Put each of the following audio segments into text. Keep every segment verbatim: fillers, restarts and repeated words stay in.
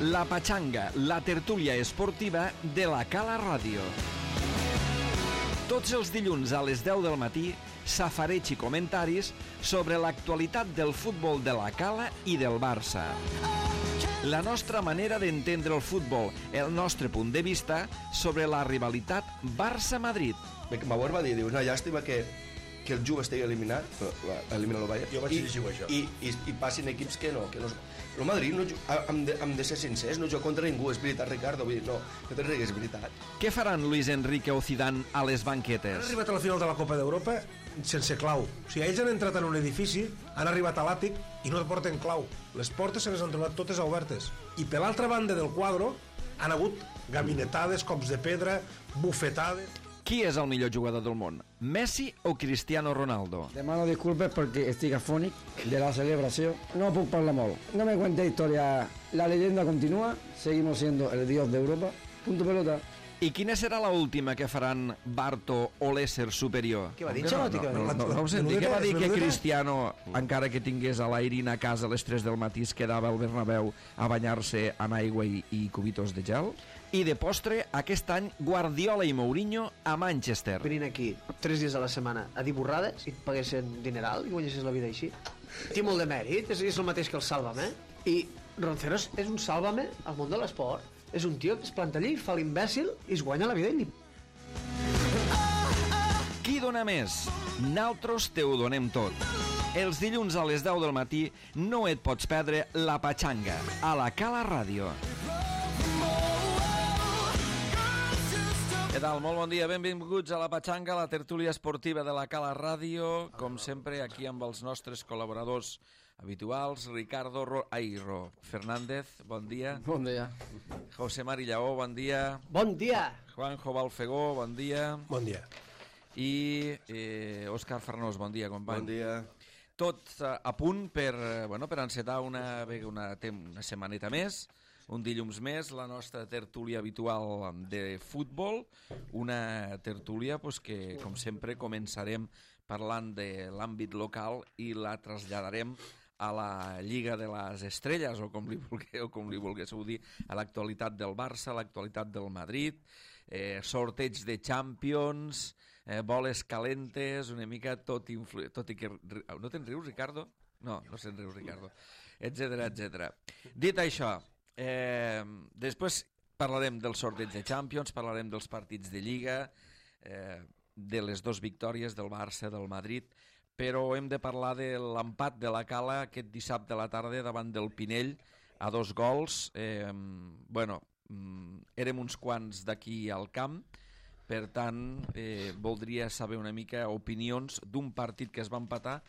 La Pachanga, la tertúlia esportiva de la Cala Ràdio. Tots els dilluns a les deu del matí, safareig i comentaris sobre l'actualitat del futbol de la Cala i del Barça. La nostra manera d'entendre el futbol, el nostre punt de vista sobre la rivalitat Barça-Madrid. Bauer va dir, diu, una llàstima que, que el Juve estigui eliminat, elimina el Bayern, jo vaig llegir això. I, i, i passin equips que no, que no... El Madrid, no, hem, de, hem de ser sincers, no juga contra ningú, és veritat, Ricardo, vull dir, no, no te rigues, és veritat. Què faran Luis Enrique o Zidane a les banquetes? Han arribat a la final de la Copa d'Europa sense clau. O sigui, ells han entrat en un edifici, han arribat a l'àtic i no porten clau. Les portes se les han trobat totes obertes. I per l'altra banda del quadre han hagut gabinetades, cops de pedra, bufetades... Qui és el millor jugador del món? Messi o Cristiano Ronaldo? Demano disculpes perquè estic afònic de la celebració. No puc parlar molt. No me cuente historia. La leyenda continúa. Seguimos siendo el dios de Europa. Punto pelota. I quina serà la última que faran Barto o l'ésser superior? Què va dir, no, no, no, no, no ho senti. Què va dir que Cristiano, encara que tingués a l'Airin a casa a les tres del matí, es quedava al Bernabéu a banyar-se en aigua i, i cubitos de gel? I de postre, aquest any, Guardiola i Mourinho a Manchester. Venint aquí tres dies a la setmana a dir borrades i et paguessin dineral i guanyessis la vida així. Té molt de mèrit, és, és el mateix que el Sálvame. I Ronceros és un Sálvame al món de l'esport. És un tio que es planta allí, fa l'imbècil i es guanya la vida i li... Qui dona més? Naltros te ho donem tot. Els dilluns a les deu del matí no et pots perdre La Pachanga a la Cala Ràdio. Què tal? Molt bon dia, benvinguts a La Pachanga, la tertúlia esportiva de la Cala Ràdio. Com sempre, aquí amb els nostres col·laboradors habituals, Ricardo Ro... Ai, Ro... Fernández, bon dia. Bon dia. José Mari Lleó, bon dia. Bon dia! Juanjo Balfegó, bon dia. Bon dia. I eh, Òscar Farnós, bon dia, company. Bon dia. Tot a, a punt per, bueno, per encetar una, una, una setmaneta més, un dilluns més, la nostra tertúlia habitual de futbol, una tertúlia pues, que, com sempre, començarem parlant de l'àmbit local i la traslladarem a la Lliga de les Estrelles, o com li vulgueu, com li vulguéssiu dir, a l'actualitat del Barça, a l'actualitat del Madrid, eh, sorteig de Champions, eh, boles calentes, una mica tot, influ... tot i que... No te'n rius, Ricardo? No, no se'n rius, Ricardo. Etcètera, etcètera. Dit això, eh, després parlarem del sorteig de Champions, parlarem dels partits de Lliga, eh, de les dues victòries del Barça, del Madrid, però hem de parlar de l'empat de la Cala aquest dissabte a la tarda davant del Pinell a dos gols. Eh, bueno, érem uns quants d'aquí al camp, per tant, eh, voldria saber una mica opinions d'un partit que es va empatar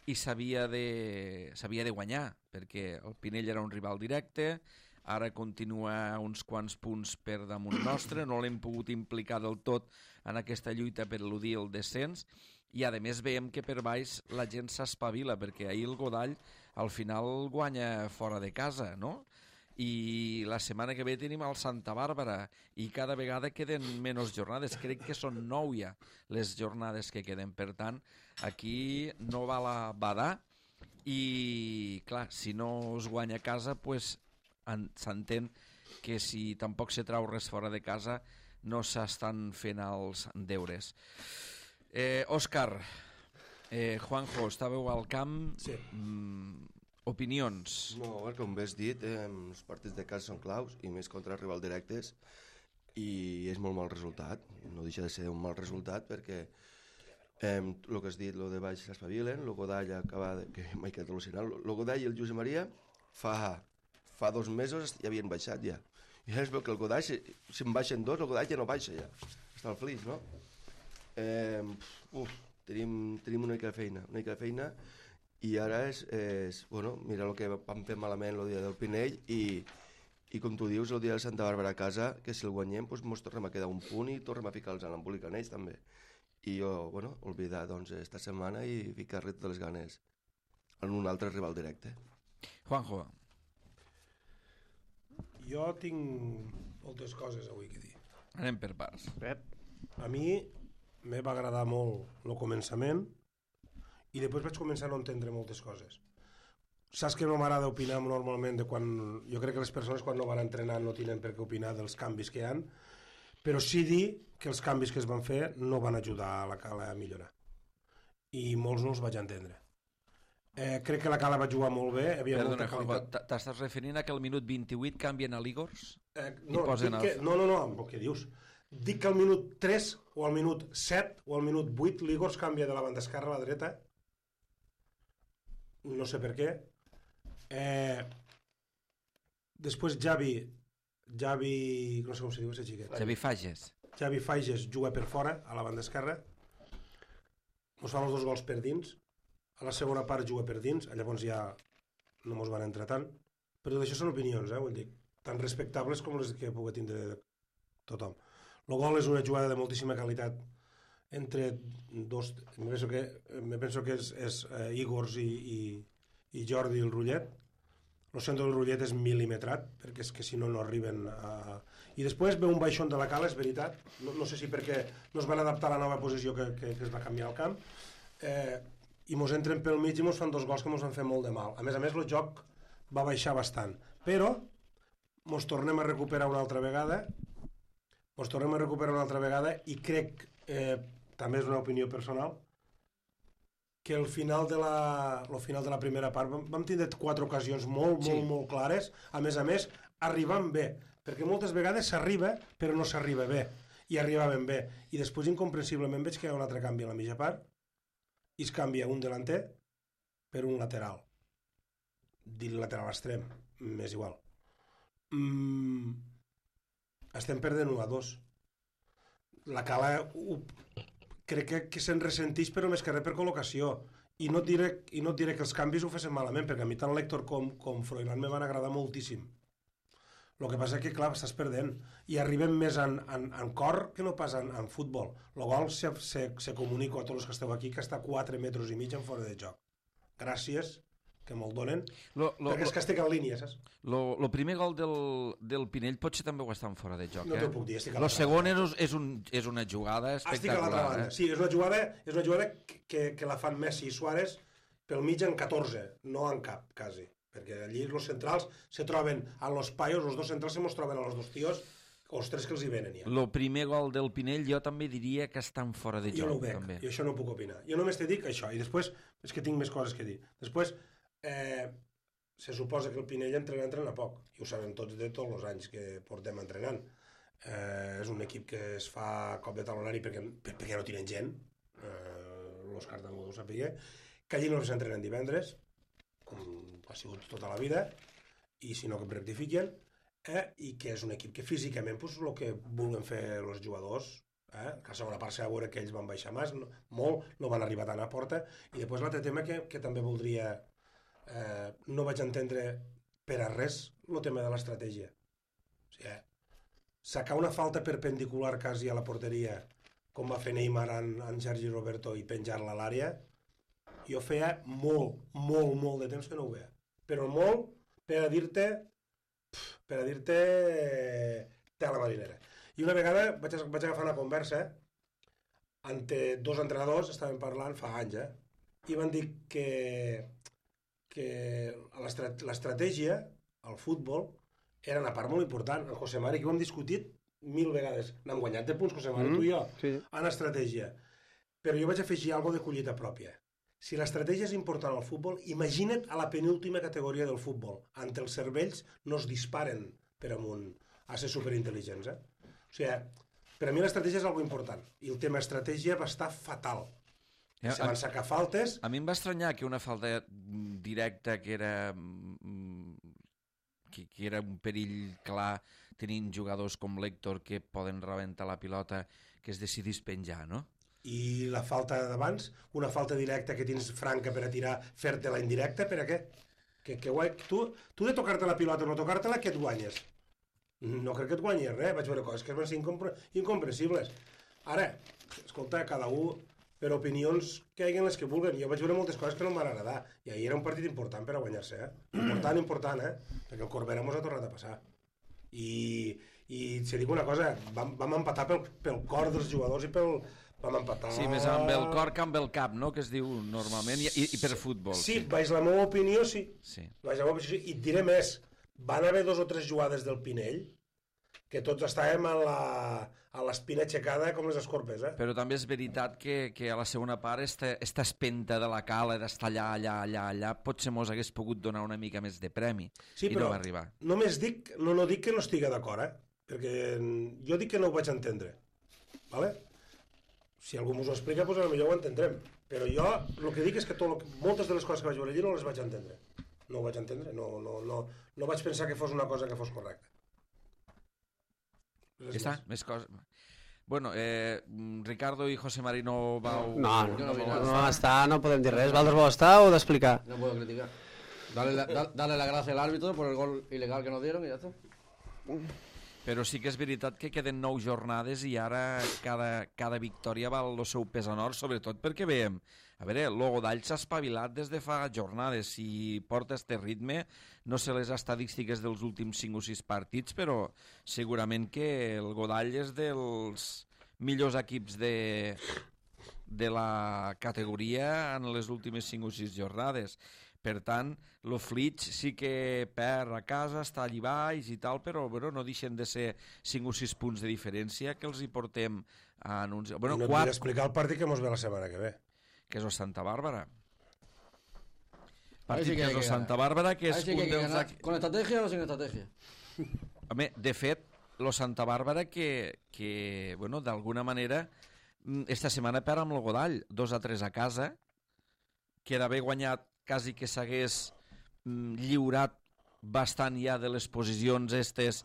i s'havia de, s'havia de guanyar, perquè el Pinell era un rival directe, ara continua uns quants punts per damunt nostre, no l'hem pogut implicar del tot en aquesta lluita per eludir el descens, i a més veiem que per baix la gent s'espavila, perquè ahir el Godall al final guanya fora de casa, no? I la setmana que ve tenim el Santa Bàrbara i cada vegada queden menys jornades, crec que són nou ja les jornades que queden, per tant aquí no val a badar i clar, si no es guanya a casa pues, s'entén que si tampoc se trau res fora de casa no s'estan fent els deures. eh, Òscar, eh, Juanjo, estàveu al camp. Sí. Mm, opinions. No, com bé has dit, eh, els partits de casa són claus, i més contra rivals directes, i és molt mal resultat. No deixa de ser un mal resultat, perquè eh, el que has dit, el de baix s'espavilen, el Godall acaba de... que m'he quedat al·lucinant. El Godall i el Josep Maria fa, fa dos mesos ja havien baixat ja. I ja es veu que el Godall, si, si en baixen dos, el Godall ja no baixa ja. Està al flix, no? Eh, uf, tenim, tenim una mica de feina, una mica de feina, i ara és, és bueno, mira el que vam fer malament el dia del Pinell i, i com tu dius, el dia de Santa Bàrbara a casa, que si el guanyem doncs ens tornem a quedar un punt i tornem a ficar-los en l'embolic en ells també. I jo, bueno, oblidar doncs esta setmana i ficar-li totes les ganes en un altre rival directe. Juanjo. Jo tinc moltes coses avui que dir. Anem per parts. Pep. A mi me va agradar molt el començament i després vaig començar a no entendre moltes coses. saps que no m'agrada opinar normalment de quan... Jo crec que les persones quan no van entrenar no tenen per què opinar dels canvis que hi ha, però sí dir que els canvis que es van fer no van ajudar a la Cala a millorar. I molts no els vaig entendre. Eh, crec que la Cala va jugar molt bé. Havia Perdona, molta qualitat. t'estàs referint a que al minut vint-i-vuit canvien a l'Igors? Eh, no, posen dic que, els- no, no, no, què dius? Dic que al minut tres o al minut set o al minut vuit l'Igors canvia de la banda esquerra a la dreta. No sé per què. Eh, després Javi, Javi, no sé com se diu ese xiquet. Xavi Fages. Javi Fages juga per fora, a la banda esquerra. Ens fan els dos gols per dins. A la segona part juga per dins, llavors ja no mos van entrar tant. Però tot això són opinions, eh, vull dir, tan respectables com les que pugui tindre tothom. El gol és una jugada de moltíssima qualitat entre dos... Me penso que, me penso que és, és eh, Igors i, i, i Jordi el Rullet. El centre del Rullet és mil·limetrat, perquè és que si no, no arriben a... I després ve un baixón de la Cala, és veritat. No, no sé si perquè no es van adaptar a la nova posició que, que, que es va canviar al camp. Eh, I mos entren pel mig i mos fan dos gols que mos van fer molt de mal. A més a més, el joc va baixar bastant. Però mos tornem a recuperar una altra vegada. Mos tornem a recuperar una altra vegada i crec, eh, també és una opinió personal, que el final de la, el final de la primera part vam, vam tindre quatre ocasions molt, molt, Sí. molt clares, a més a més, arribant bé, perquè moltes vegades s'arriba, però no s'arriba bé, i arribaven bé, i després incomprensiblement veig que hi ha un altre canvi a la mitja part, i es canvia un delanter per un lateral. Dir lateral extrem, m'és igual. Mm, estem perdent u a dos. La Cala ho, crec que, que se'n ressentix, però més que res per col·locació. I no, et diré, I no et diré que els canvis ho fessin malament, perquè a mi tant l'Héctor com, com Froilán me van agradar moltíssim. El que passa és que, clar, estàs perdent. I arribem més en, en, en cor que no pas en, en futbol. El gol se, se, se comunico a tots els que esteu aquí que està a quatre metres i mig en fora de joc. Gràcies, que me'l donen, Lo, lo, perquè és que estic en línia, saps? lo, lo primer gol del, del Pinell potser també ho estan fora de joc, No eh? t'ho puc dir, estic a Lo l'altra segon és, és, un, és una jugada Estic a l'altra espectacular, banda. eh? Sí, és una jugada, és una jugada que, que la fan Messi i Suárez pel mig en catorze, no en cap, quasi. Perquè allí els centrals se troben a los paios, els dos centrals se mos troben a los dos tios, els tres que els hi venen ja. Lo primer gol del Pinell jo també diria que estan fora de Jo no ho joc, veig, també. i això no ho puc opinar. Jo només te dic això, i després és que tinc més coses que dir. Després, eh, se suposa que el Pinell entrena, entrena poc, i ho sabem tots de tots els anys que portem entrenant. Eh, és un equip que es fa cop de talonari perquè, perquè no tenen gent, eh, l'Òscar també ho sapia, que allí no s'entrenen divendres, com ha sigut tota la vida, i si no que em rectifiquen, eh, i que és un equip que físicament pues, el que vulguen fer els jugadors, eh, que a la segona part s'ha de veure que ells van baixar més, no, molt, no van arribar tant a porta, i després l'altre tema que, que també voldria, eh, no vaig entendre per a res, el tema de l'estratègia. O sigui, eh, sacar una falta perpendicular quasi a la porteria, com va fer Neymar en, en Sergi Roberto, i penjar-la a l'àrea, jo feia molt, molt, molt de temps que no ho veia. Però molt per a dir-te per a dir-te tela marinera. I una vegada vaig, vaig agafar una conversa entre dos entrenadors, estaven parlant fa anys, eh? I van dir que, que l'estratègia al futbol era una part molt important. En José Mari, que ho hem discutit mil vegades. N'hem guanyat de punts, José Mari, mm, tu i jo, sí. en estratègia. Però jo vaig afegir alguna de collita pròpia. Si l'estratègia és important al futbol, imagina't a la penúltima categoria del futbol. Ante els cervells no es disparen per amunt a ser superintel·ligents. Eh? O sigui, per a mi l'estratègia és algo important. I el tema estratègia va estar fatal. Ja, Se van sacar faltes. A mi em va estranyar que una falta directa que era mm, que, que era un perill clar tenint jugadors com l'Héctor que poden rebentar la pilota, que es decidís penjar, no? I la falta d'abans, una falta directa que tens franca per a tirar, fer-te la indirecta, per a què? Que, que guai, tu, tu de tocar-te la pilota o no tocar-te-la, què et guanyes? No crec que et guanyis res, vaig veure coses que van ser incompre incomprensibles. Ara, escolta, cada un per opinions que hi hagin les que vulguen. Jo vaig veure moltes coses que no em van agradar, i ahir era un partit important per a guanyar-se, eh? Important, important, eh? Perquè el Corbera mos ha tornat a passar. I, i si dic una cosa, vam, vam empatar pel, pel cor dels jugadors i pel, vam empatar... Sí, més amb el cor que amb el cap, no?, que es diu normalment, i, i per futbol. Sí, sí, vaig la meva opinió, sí. Sí. Vaig la meva opinió, sí. I et diré més, van haver dos o tres jugades del Pinell que tots estàvem a la, a l'espina aixecada com les escorpes, eh? Però també és veritat que, que a la segona part esta, esta espenta de la cala, d'estar allà, allà, allà, allà, potser mos hagués pogut donar una mica més de premi, sí, i no va arribar. Només dic, no, no dic que no estigui d'acord, eh? Perquè jo dic que no ho vaig entendre, vale? Si algú mos ho explica, doncs potser ho entendrem. Però jo el que dic és que tot, moltes de les coses que vaig veure allí no les vaig entendre. No ho vaig entendre, no, no, no, no vaig pensar que fos una cosa que fos correcta. Ja està, més coses. Bueno, eh, Ricardo i José Marino vau... No, no, Jo no no, vi no, nada. no està, no podem dir res. Valdres vol estar o d'explicar? No puedo criticar. Dale la, da- dale la gracia al árbitro por el gol ilegal que nos dieron y ya está. Però sí que és veritat que queden nou jornades i ara cada, cada victòria val el seu pes en or, sobretot perquè veiem, a veure, el Godall s'ha espavilat des de fa jornades, si porta este ritme, no sé les estadístiques dels últims cinc o sis partits, però segurament que el Godall és dels millors equips de, de la categoria en les últimes cinc o sis jornades. Per tant, el Flitx sí que perd a casa, està allí baix i tal, però bueno, no deixen de ser cinc o sis punts de diferència que els hi portem a anunciar. Bueno, I no et quatre, vull explicar el partit que mos ve la setmana que ve. que és el Santa Bàrbara. Ahí Partit sí que que hay és el que Santa ganar. Bàrbara, que Ahí és sí que un hay que dels... ganar. ¿Con estrategia o sin estrategia? Home, de fet, lo Santa Bàrbara que, que bueno, d'alguna manera, mm, esta setmana perd amb el Godall, dos a tres a casa, que d'haver guanyat quasi que s'hagués mm, lliurat bastant ja de les posicions estes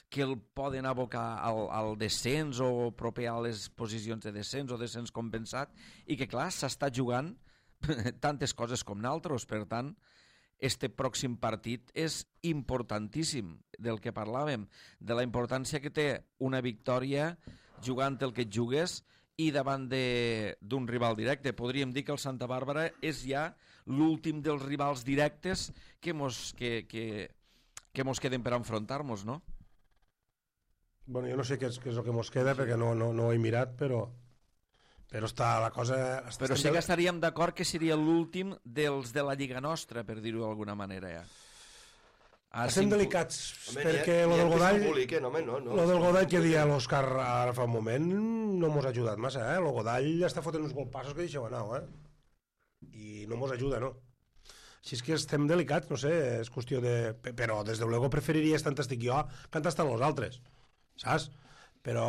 que el poden abocar al, al descens o proper a les posicions de descens o descens compensat, i que clar, s'està jugant tantes coses com naltros, per tant, este pròxim partit és importantíssim, del que parlàvem, de la importància que té una victòria jugant el que et jugues i davant d'un rival directe. Podríem dir que el Santa Bàrbara és ja l'últim dels rivals directes que mos, que, que, que mos queden per enfrontar-nos, no? Bueno, jo no sé què és, què és el que mos queda perquè no, no, no ho he mirat, però però està la cosa... Està, Però sí que estaríem d'acord que seria l'últim dels de la Lliga nostra, per dir-ho d'alguna manera, ja. Ah, Estem sí, delicats, Home, perquè n'hi ha- lo n'hi ha del que Godall... s'emboliquen, home, no, no. Lo del Godall que deia l'Òscar ara fa un moment no mos ha ajudat massa, eh? El Godall està fotent uns golpassos que deixeu anar, eh? I no mos ajuda, no? Així és que estem delicats, no sé, és qüestió de... Però, des de luego, preferiries tant estic jo que tant estan els altres, saps? Però,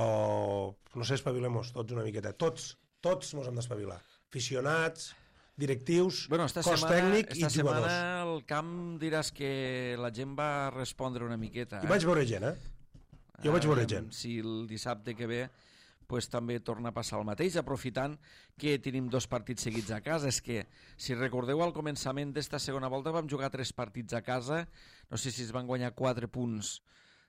no sé, espavilem-nos tots una miqueta. Tots, tots mos hem d'espavilar. Aficionats, directius, bueno, esta cos setmana, tècnic esta i jugadors. setmana al camp diràs que la gent va respondre una miqueta. I Eh? vaig veure gent, eh? Jo vaig veure Aviam gent. Si el dissabte que ve pues, també torna a passar el mateix, aprofitant que tenim dos partits seguits a casa. És que, si recordeu, al començament d'esta segona volta vam jugar tres partits a casa, no sé si es van guanyar quatre punts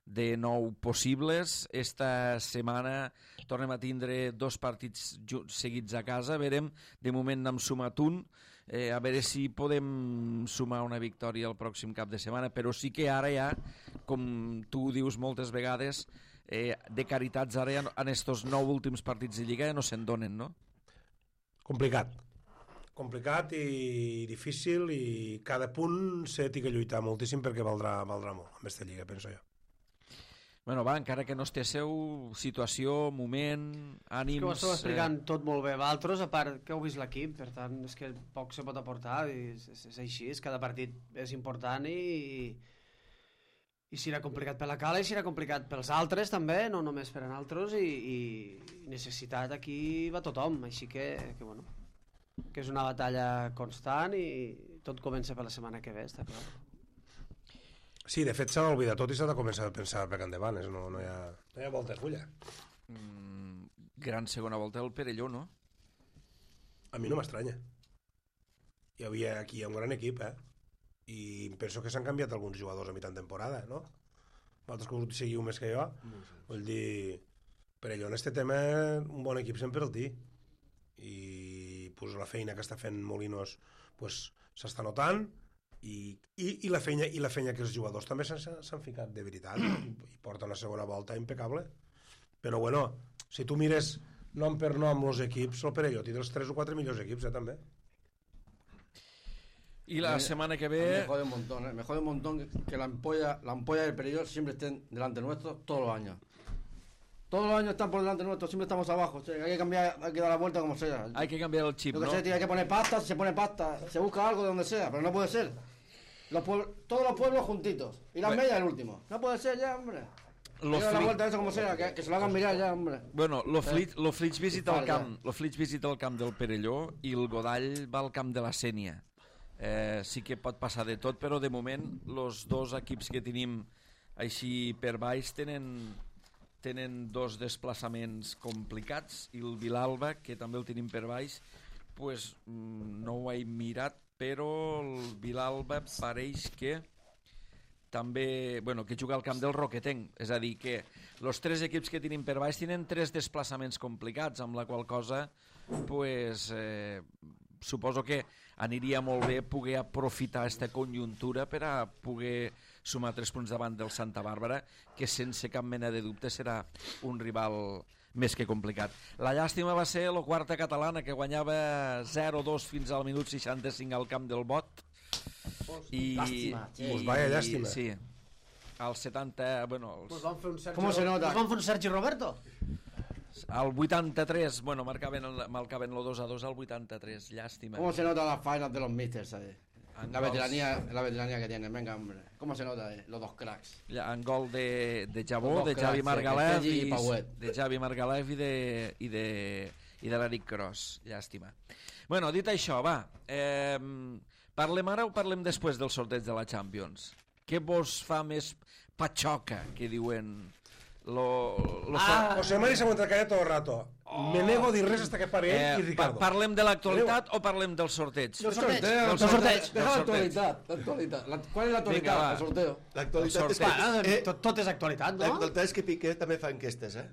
de nou possibles. Esta setmana tornem a tindre dos partits seguits a casa, verem, de moment n'hem sumat un, eh, a veure si podem sumar una victòria el pròxim cap de setmana, però sí que ara ja, com tu dius moltes vegades, eh, de caritats ara ja en estos nou últims partits de Lliga ja no se'n donen, no? Complicat. Complicat i difícil, i cada punt s'ha de lluitar moltíssim perquè valdrà, valdrà molt amb aquesta Lliga, penso jo. Bueno, va, encara que no estigueu, situació, moment, ànims... Que ho esteu explicant eh... tot molt bé. Valtros, a part que heu vist l'equip, per tant, és que poc se pot aportar, i és, és, és així, és cada partit és important i, i serà complicat per la Cala i serà complicat pels altres també, no només per a nosaltres, i, i necessitat aquí va tothom, així que, que bueno, que és una batalla constant i tot comença per la setmana que ve, està clar. Sí, de fet s'ha d'oblidar tot i s'ha de començar a pensar per endavant, no, no, hi ha, no hi ha volta de fulla. Mm, gran segona volta del Perelló, no? A mi no m'estranya. Hi havia aquí un gran equip, eh? I penso que s'han canviat alguns jugadors a mitjan temporada, no? Vosaltres que us seguiu més que jo, no sé. Vull dir, Perelló en este tema un bon equip sempre el té. I pues, la feina que està fent Molinos pues, s'està notant, I, i, i, la feina, i la feina que els jugadors també s'han ficat de veritat i porten la segona volta impecable, però bueno, si tu mires nom per nom els equips, el Perelló té dels tres o quatre millors equips, eh, també. Y la semana que Me ve... jode un montón, ¿eh? Me jode un montón que, que la ampolla, la ampolla del Perelló siempre estén delante nuestro todos los años. Todos los años están por delante nuestro, siempre estamos abajo. O sea, hay que cambiar, hay que dar la vuelta como sea. Hay que cambiar el chip, Yo que ¿no? sé, tío, hay que poner pasta, se pone pasta, se busca algo de donde sea, pero no puede ser. Los pueblos, todos los pueblos juntitos. Y las Bueno. medias el último. No puede ser ya, hombre. Lo Hay que dar la fli- vuelta a eso como sea, que, que se lo hagan mirar ya, hombre. Bueno, lo Flix, lo Flix visita el Fa, camp, lo Flix visita el camp del Perelló i el Godall va al camp de la Sénia. Eh, sí que pot passar de tot, però de moment els dos equips que tenim així per baix tenen, tenen dos desplaçaments complicats i el Vilalba, que també el tenim per baix, pues, mm, no ho he mirat, però el Vilalba pareix que també, bueno, que juga al camp del Roquetenc, és a dir, que els tres equips que tenim per baix tenen tres desplaçaments complicats, amb la qual cosa, pues, eh, suposo que aniria molt bé poder aprofitar aquesta conjuntura per a poder sumar tres punts davant del Santa Bàrbara, que sense cap mena de dubte serà un rival més que complicat. La llàstima va ser la quarta catalana, que guanyava zero dos fins al minut seixanta-cinc al camp del Bot. I, Llàstima, i, Pues vaya llàstima. Sí. Al setanta, bueno, Pues als, van fer un Sergi ¿Cómo se Ro- nota? Pues van fer un Sergi Roberto. al vuitanta-tres, bueno, marcaven el, marcaven el dos a dos al vuitanta-tres, llàstima. ¿Cómo se nota las finals de los misters, ¿sabes? En La gols- veteranía, la veteranía que tienen, venga, hombre. ¿Cómo se nota, eh? Los dos cracks. En gol de, de Jabó, Los dos de Javi cracks, eh, Margalef Castelli i, i Pauet. de Javi Margalef i de, i de, i de l'Eric Cros, llàstima. Bueno, dit això, va, eh, parlem ara o parlem després del sorteig de la Champions? Què vos fa més patxoca, que diuen... Lo, lo fa... José Mari s'ha aguantat callat tot el rato. Me nego a dir res hasta que pare ell i Eh, pa Ricardo. parlem de l'actualitat o parlem del sorteig? El sorteo, Del el sorteig. sorteo. Del Deja la sorteig. actualidad, la actualidad. La- ¿Cuál es la actualidad? Vinga, va. El sorteo. L'actualitat El és que... sorteig. Ah, Eh, tot, tot és actualitat, no? L'actualitat és que Piqué també fa enquestes, eh?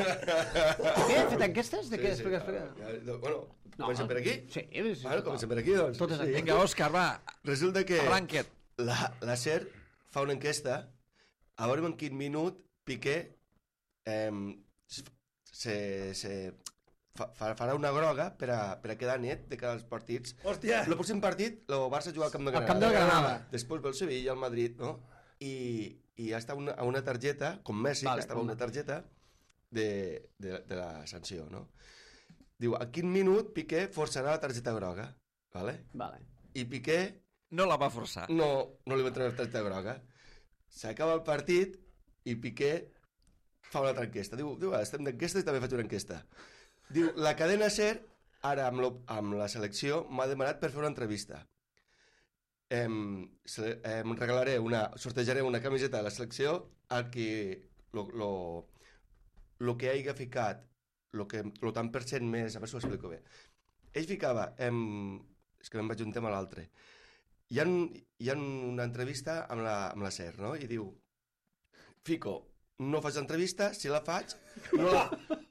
Què? He fet enquestes? De què? Sí, Explica, sí, explica. ja, ja, bueno, comencem per aquí? Sí, sí, sí. Bueno, comencem per aquí, doncs. Tot és Sí. Vinga, Òscar, va, Resulta que arranca't. la, la SER fa una enquesta a veure en quin minut Piqué eh, se, se fa, farà una groga per a, per a quedar net de cada als partits. Hòstia! El pròxim partit, el Barça juga al Camp de Al Granada. Camp del Granada. Després ve el Sevilla, el Madrid, no? I, i està una, a una targeta, com Messi, Vale, que estava a com- una targeta de, de, de la sanció, no? Diu, a quin minut Piqué forçarà la targeta groga, vale? Vale. I Piqué No la va forçar. no, no li va treure la targeta groga. S'acaba el partit i Piqué fa una altra enquesta. Diu, diu ah, estem d'enquesta i també faig una enquesta. Diu, la cadena SER, ara amb, lo, amb la selecció, m'ha demanat per fer una entrevista. Em, se, em regalaré una, sortejaré una camiseta de la selecció al que lo, lo, lo que hagi ficat, lo, que, lo tant per cent més, a veure si ho explico bé. Ell ficava, em, és que me'n vaig un tema a l'altre, hi ha, hi ha una entrevista amb la, amb la SER, no? I diu, fico, no faig l'entrevista, si la faig, no, la,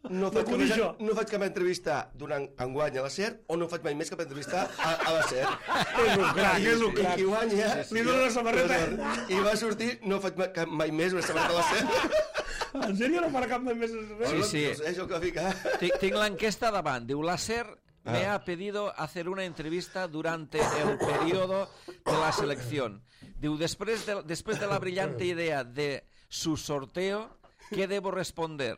no, faig, conec cap, jo. no faig cap entrevista durant enguany a la SER o no faig mai més cap entrevista a, a la SER. És un crac, és un I crac. qui guanya... Li dona la samarreta. I va sortir, no faig mai, cap- mai més una samarreta a la SER. En sèrio no farà cap més res? Sí, sí. No sé, això que va ficar. Tinc, tinc l'enquesta davant. Diu, la SER me Ah. ha pedido hacer una entrevista durante el periodo de la selección. Diu, després de, després de la brillante idea de su sorteo, ¿qué debo responder?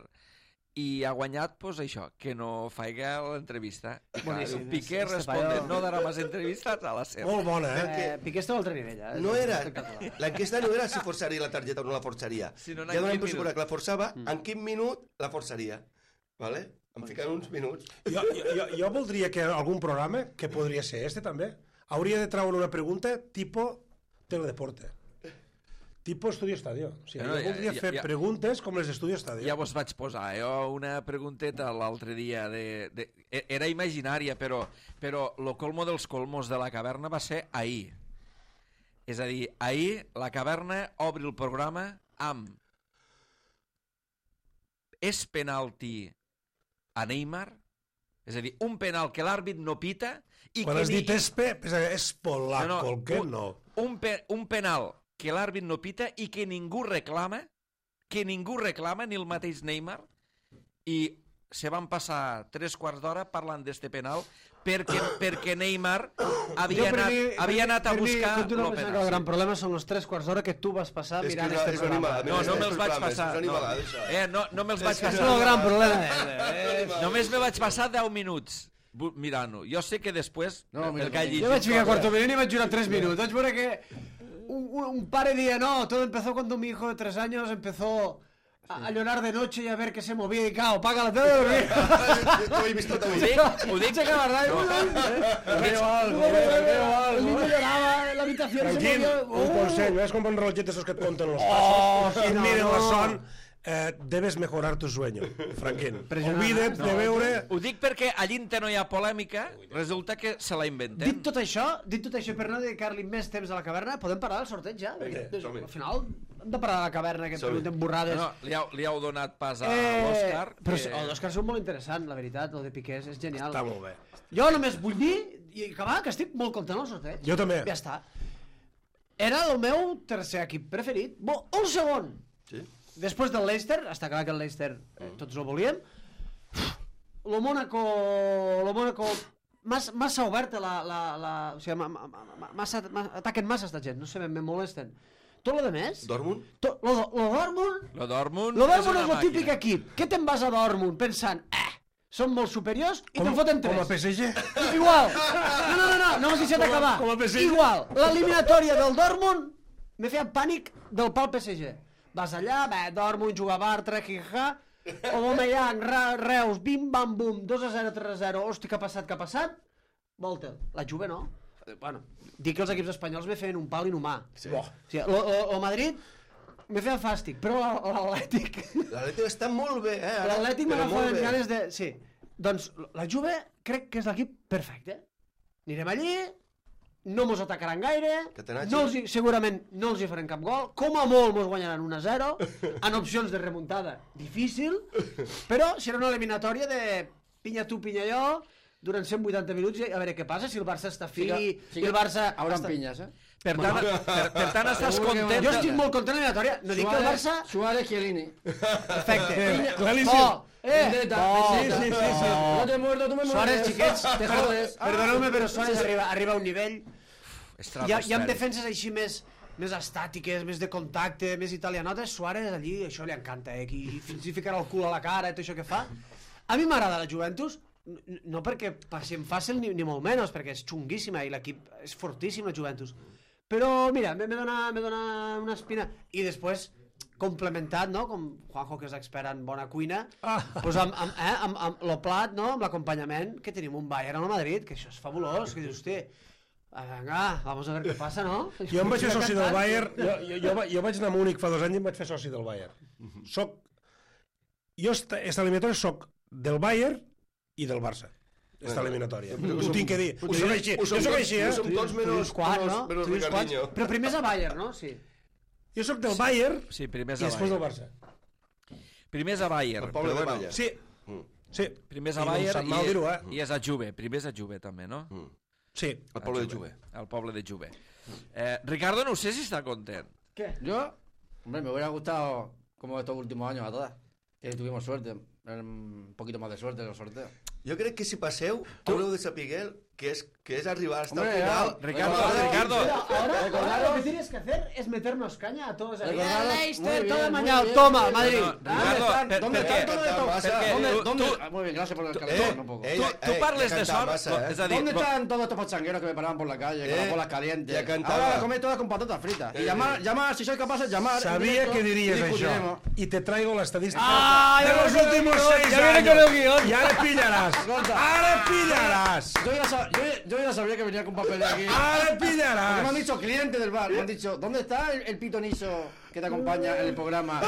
I ha guanyat, pues, això, que no faiga l'entrevista. Boníssim. Piqué Este responde, paio- no darà més entrevistas a la SER. Molt bona, eh? Eh, Piqué està a altre nivell, eh? No era, Espectacular. l'enquesta no era si forçaria la targeta o no la forçaria. Sinó en Ja donem quin per minut. suposat que la forçava, en quin minut la forçaria. Vale? Em fiquen uns minuts. Jo, jo, jo, jo voldria que algun programa, que podria ser este també, hauria de treure una pregunta tipo teledeporte. Tipo Estudio Estadio. O sigui, No, jo ja- voldria ja- fer ja- preguntes com les d'Estudio Estadio. Ja vos vaig posar jo una pregunteta l'altre dia. De, de, era imaginària, però, però lo colmo dels colmos de la caverna va ser ahir. És a dir, ahir la caverna obre el programa amb és penalti a Neymar? És a dir, un penal que l'àrbit no pita i Quan que has ni... dit espe, pensa que és polaco, No, no, el que un- no. un, pe, un penal que l'àrbit no pita i que ningú reclama, que ningú reclama, ni el mateix Neymar, i se van passar tres quarts d'hora parlant d'este penal perquè, perquè Neymar havia Jo, per anat, mi- havia per mi- anat a per mi, buscar continuo el pensant penal. que el gran problema són els tres quarts d'hora que tu vas passar És que mirant és, este és un programa. animal. No, no és me'ls un vaig programa, passar. És un No, animal, això. eh, no, no me'ls vaig És passar. el gran problema. Només me vaig passar deu minuts bu- mirant-ho. Jo sé que després, No, mira, perquè he Jo vaig llegit ficar coses- cuarto milenio y me durar tres minutos. Vaig veure que un, un, un padre día, no, todo empezó cuando mi hijo de tres años empezó a, a llorar de noche y a ver que se movía y cao, paga la tele. T'ho he vist tot Ho avui. dic, ho dic, Che verdad, Veo algo, veo algo. el niño lloraba, la habitación se Tranquil, movió. un consell, ves com un relojet esos que et compten los Oh, pasos sí, i no, miren no. la son, eh, debes mejorar tu sueño, Franquín. Impressionant. Oblida't de veure... ho dic perquè a l'Inter no hi ha polèmica, resulta que se la Dit inventen. tot això, dit tot això, per no dedicar-li més temps a la caverna, podem parlar del sorteig ja? Perquè, som-hi. al final hem de parar a la caverna, que Som-hi. preguntem borrades. No, li, heu, li heu donat pas a Eh, l'Òscar. Però que- oh, l'Òscar són molt interessant, la veritat, el de Piqués és genial. Està molt bé. Jo només vull dir, i acabar, que estic molt content del sorteig. Jo també. Ja està. Era el meu tercer equip preferit. Bo, un segon. Sí? Després del Leicester, està clar que el Leicester eh, tots el volíem. Lo Mónaco... Lo Mónaco... Mas, massa oberta la... la, la o sigui, ma, ma, ma, massa, ma, ataquen massa esta gent, no sé, me molesten. Tot lo de més... Dortmund? To, lo, lo Dortmund... Lo Dortmund, Lo és Dortmund una és el màquina. típic equip. Què te'n vas a Dortmund pensant, eh, són molt superiors i te'n foten tres. Com a P S G? Igual. No, no, no, no, no m'has deixat Com a- acabar. com a P S G. Igual. L'eliminatòria del Dortmund me feia pànic del pal P S G. Vas allà, bé, Dortmund, juga Bartra, Jija, Aubameyang, Ra- Reus, bim, bam, bum, dos a zero, tres a zero, hosti, què ha passat, què ha passat? Volta. La Juve no. Eh, Bueno, dic que els equips espanyols me feien un pal inhumà. Sí. O sigui, lo, lo, lo Madrid me feia fàstic, però l'Atlètic... L'Atlètic està molt bé, eh? ara, L'Atlètic però molt m'agafa bé. ganes de... Sí. Doncs la Juve crec que és l'equip perfecte. Anirem allí, no mos atacaran gaire, Catenacci. no els hi, segurament no els hi faran cap gol, com a molt mos guanyaran un a zero, en opcions de remuntada difícil, però serà una eliminatòria de pinya tu, pinya jo, durant cent vuitanta minuts i a veure què passa, si el Barça està fi, Sí que- i el Barça... Hauran està... pinyes, eh? Per tant, per, per tant estàs Segur que content... Jo estic molt content de l'eliminatòria, no dic que el Barça... Suárez, Chiellini. Perfecte. Claríssim. Oh, eh, Vendetta, oh, vendetta. sí, sí, sí. No te muerto, tu me mueres. Suárez, xiquets, te jodes. Ah. Perdoneu-me, però Suárez arriba, arriba a un nivell... Estrada, Hi ha, hi ha estrada. defenses així més, més estàtiques, més de contacte, més italianotes. Suárez allí, això li encanta, eh? Qui fins i ficarà el cul a la cara i tot això que fa. A mi m'agrada la Juventus, n- no perquè passi en fàcil ni, ni molt menys, perquè és xunguíssima i l'equip és fortíssim, la Juventus. Però, mira, me, me, dona, me dona una espina. I després, complementat, no?, com Juanjo, que és expert en bona cuina, Ah. pues amb, amb, eh, amb, amb lo plat, no?, amb l'acompanyament, que tenim un Bayern al Madrid, que això és fabulós, que dius, hosti, ah, venga, vamos a ver què passa, no? Jo em vaig fer soci del Cantant. Bayern, jo, jo, jo, va- jo vaig anar a Múnich fa dos anys i em vaig fer soci del Bayern. Soc, jo esta, esta eliminatòria soc del Bayern i del Barça. Esta eliminatòria. Ho tinc que dir. Ho soc així, Ho jo som soc tots- així, ho eh? som tots Tu menys, dius quart, menys, no? menys Tu dius quart, Ricardinho. però primer és a Bayern, no? Sí. Jo soc del Bayern Sí, primer és i a després del Bayern. Barça. Primer és a Bayern. El poble però de bueno, Baia. Sí, Mm. sí. Primer és a I no em Bayern sap mal i, dir-ho, eh? i és a Juve. Primer és a Juve, també, no? Mm. Sí. El poble de Juve. El poble de Juve. Eh, Ricardo, no sé si està content. ¿Qué? Yo, hombre, me hubiera gustado, como estos últimos años a todas, que tuvimos suerte, un poquito más de suerte en los sorteos. Jo crec que si passeu, haureu de saber que és, que és arribar hasta el Hombre, final. ya, Ricardo, Recordar- Ricardo. Ahora, Recordaros- ahora lo que tienes que hacer es meternos caña a todos. ahí. Recordaros- El muy Leicester, bien, todo muy mañana. bien, Toma, muy bien. Madrid. No, ¿Dónde Ricardo, están? per- ¿Dónde perquè- están todos estos? perquè- perquè ¿Dónde, tu- dónde? tu- Ah, muy bien, gracias por el Eh, calentón, un poco. eh, Tu, tu eh, parles ja de cantava sort, massa, eh? és a dir... ¿Dónde lo- están todos estos pachangueros que me paraban por la calle, con Eh, las bolas calientes? ya cantaba. Ahora las coméis todas con patatas fritas. Y Eh. llamar, llamar, si sois capaces, llamar. en Sabia directo que diries y això. discutiremos. I te traigo l'estadística Ah, de ja los viene con el últimos guión, seis ya viene años. con el guión. I ara pillaràs. Escolta. Ara pillaràs. Yo ya, sab- yo, yo ya sabía que venía con papel de aquí. Ara Porque me han pillaràs. dicho clientes del bar, me han dicho, ¿dónde está el, el pitoniso que te acompaña en el programa?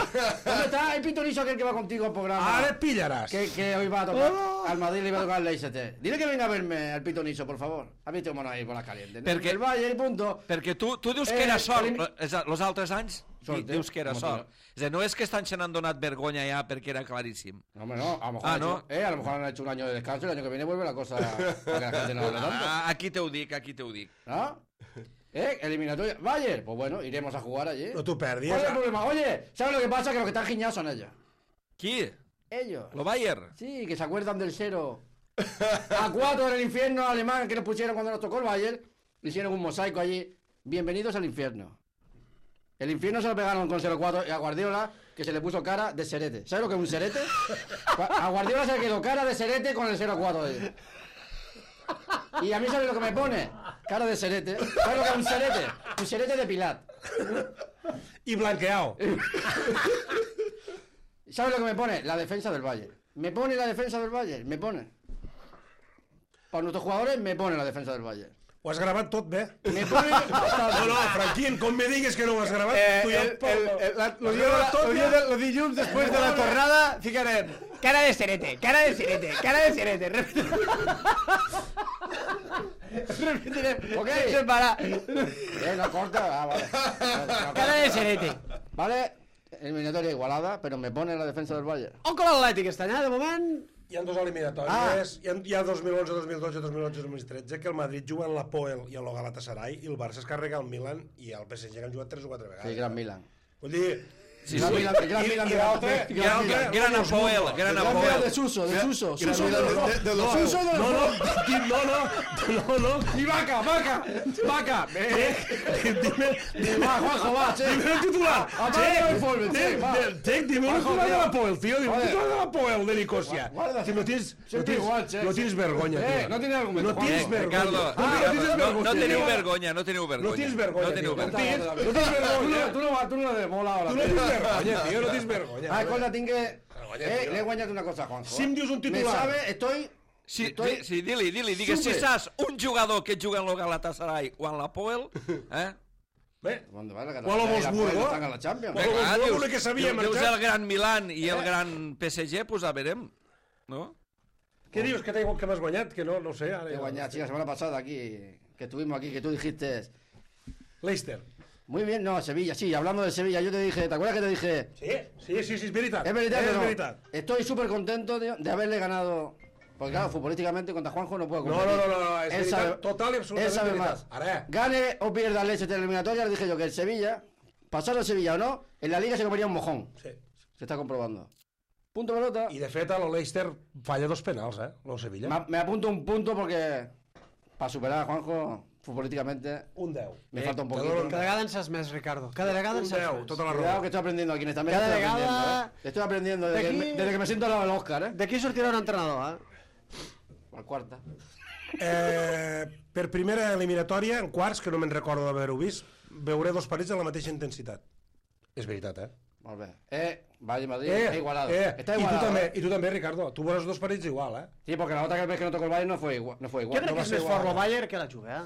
¿Dónde está el pitoniso aquel que va contigo al programa? Ara pillaràs. Que, que hoy va a tocar al Madrid, le iba a tocar el Leicester. Dile que venga a verme al pitoniso, por favor. Ha visto un mono ahí con las calientes. Perquè- El Valle y punto. Perquè tu, tu dius que Eh, era sort, elim- és a, els altres anys Sort, di- dius que era com a sort. És a dir, no és que estan se n'han donat vergonya ja perquè era claríssim. No, hombre, no. A lo mejor, Ah, han ¿no? hecho, eh, a lo mejor han hecho un año de descanso y el año que viene vuelve la cosa para que la gente no hable tanto. Ah, aquí te ho dic, aquí te ho dic. ¿No? ¿Eh? Eliminatoria. Bayer, pues bueno, iremos a jugar allí. No t'ho perdis. ¿Cuál es el problema? Oye, ¿sabes lo que pasa? Que los que están giñados son ellos. Qui? Ellos. Lo Bayern. Sí, que se acuerdan del cero. A cuatro en el infierno alemán que nos pusieron cuando nos tocó el Bayern. Hicieron un mosaico allí. Bienvenidos al infierno. El infierno se lo pegaron con cero cuatro y a Guardiola, que se le puso cara de serete. ¿Sabes lo que es un serete? A Guardiola se le quedó cara de serete con el cero cuatro. Y a mí, ¿sabes lo que me pone? Cara de serete. ¿Sabes lo que es un serete? Un serete de Pilat. Y blanqueado. ¿Sabes lo que me pone? La defensa del Bayern. Me pone la defensa del Bayern. Me pone. Para nuestros jugadores, me pone la defensa del Bayern. Ho has gravat tot bé? Me pone... No, no, Franquín, com me digues que no ho has gravat, Eh, tu ja... el, el, el, la, los, Has días, gravat tot los, ja? días de, los dilluns después de la tornada ficarem cara de serete, cara de serete, cara de serete. Repetirem. Ok. Sense parar. Eh, no corta. Ah, vale. Cara de serete. Vale, eliminatoria igualada, pero me pone la defensa del Bayern. On con l'Atlètic està allà, de moment? Hi ha dos eliminatòries, Ah. hi ha, hi ha dos mil onze, dos mil dotze, dos mil onze, dos mil tretze, que el Madrid juga en la Poel i en el Galatasaray, i el Barça es carrega el Milan i el P S G que han jugat tres o quatre vegades. Sí, Gran Milan. Vull dir... Sí, Gran sí. Milan, gran I- Milan i de l'altre- de- i l'altre- Gran Apoel, Gran Gran Milan Apoel. de Suso, de Suso. Gran Suso de Milan los de- de los- Suso de los No, no, no, no, no, no. I vaca, vaca, vaca. Dime, dime, Va, Juanjo, va, che. dime el titular. Apaga el informe, che, Tec, va. Tec, dime el titular de la Poel, tío. Dime el Joder. titular de la Poel de Nicosia. Guarda. Que no tienes, no Siempre tienes, igual, che. no tienes vergonya, Eh, tío. no tienes argumento, No tienes Juanjo. vergonya. Ricardo, No, no Ricardo, tienes no, vergonya. no teniu tío. vergonya, no teniu vergonya. No tienes vergonya, No teniu tío. vergonya. No tienes, no tienes vergonya. Tu no, tu no le mola ahora. Tu no tienes vergonya, tío, no tienes vergonya. Ah, escolta, tinc que... Vergonya, Eh, tio. le he guanyat una cosa, Juanjo. Si em dius un titular. Me sabe, estoy... Sí, estoy... di, sí, dili, dili, digues, si Súper. saps un jugador que juga en el Galatasaray o en la Poel, eh? Bé, ¿Dónde va la O a lo Wolfsburgo. Están en la Champions. O a lo Clar, Wolfsburgo, dius, l'únic que sabia dius, dius marxar. el gran Milan i el gran P S G, pues a verem, no? què dius que t'he- que m'has guanyat? Que no, no ho sé. Ara He ja- guanyat, sí, la semana pasada aquí, que estuvimos aquí, que tú dijiste... Leicester. Muy bien, no, Sevilla, sí, hablando de Sevilla, yo te dije, ¿te acuerdas que te dije? Sí, sí, sí, sí, és veritat. Es verdad, és pero veritat. estoy súper contento de, de haberle ganado. Porque claro, futbolísticamente contra Juanjo no puedo No, competir. no, no, no, és Él veritat, sabe- total i absolutament Él sabe veritat. más. Ara, Gane o pierda el Leicester eliminatoria, le dije yo que el Sevilla, pasar el Sevilla o no, en la liga se comería un mojón. sí. Se está comprobando. Punto pelota. I de fet, el Leicester falla dos penals, eh? El Sevilla. Me, me apunto un punto porque para superar a Juanjo futbolísticamente Un deu. me Eh, falta un te poquito. dono Cada vegada en saps més, Ricardo. Cada vegada en Un saps deu, més. tota la Cuidado raó. que estoy aprendiendo aquí en esta mesa. Cada estoy aprendiendo, vegada- ¿eh? Estoy aprendiendo desde, que, D'aquí- me- desde que me siento al lado del Oscar, ¿eh? D'aquí sortirà un entrenador, eh? Al cuarta. Eh, per primera eliminatòria, en quarts, que no me'n recordo d'haver-ho vist, veuré dos partits de la mateixa intensitat. És veritat, eh? Molt bé. Eh, Valle Madrid, está igualado. eh, Está i, tu igualado. també, ¿eh? I tu també, Ricardo. Tu veuràs dos partits igual, eh? Sí, porque la otra vez que no tocó el Bayern no fue igual. No fue igual. Jo crec no que va és ser més igual. fort el Bayern que la Juve, eh?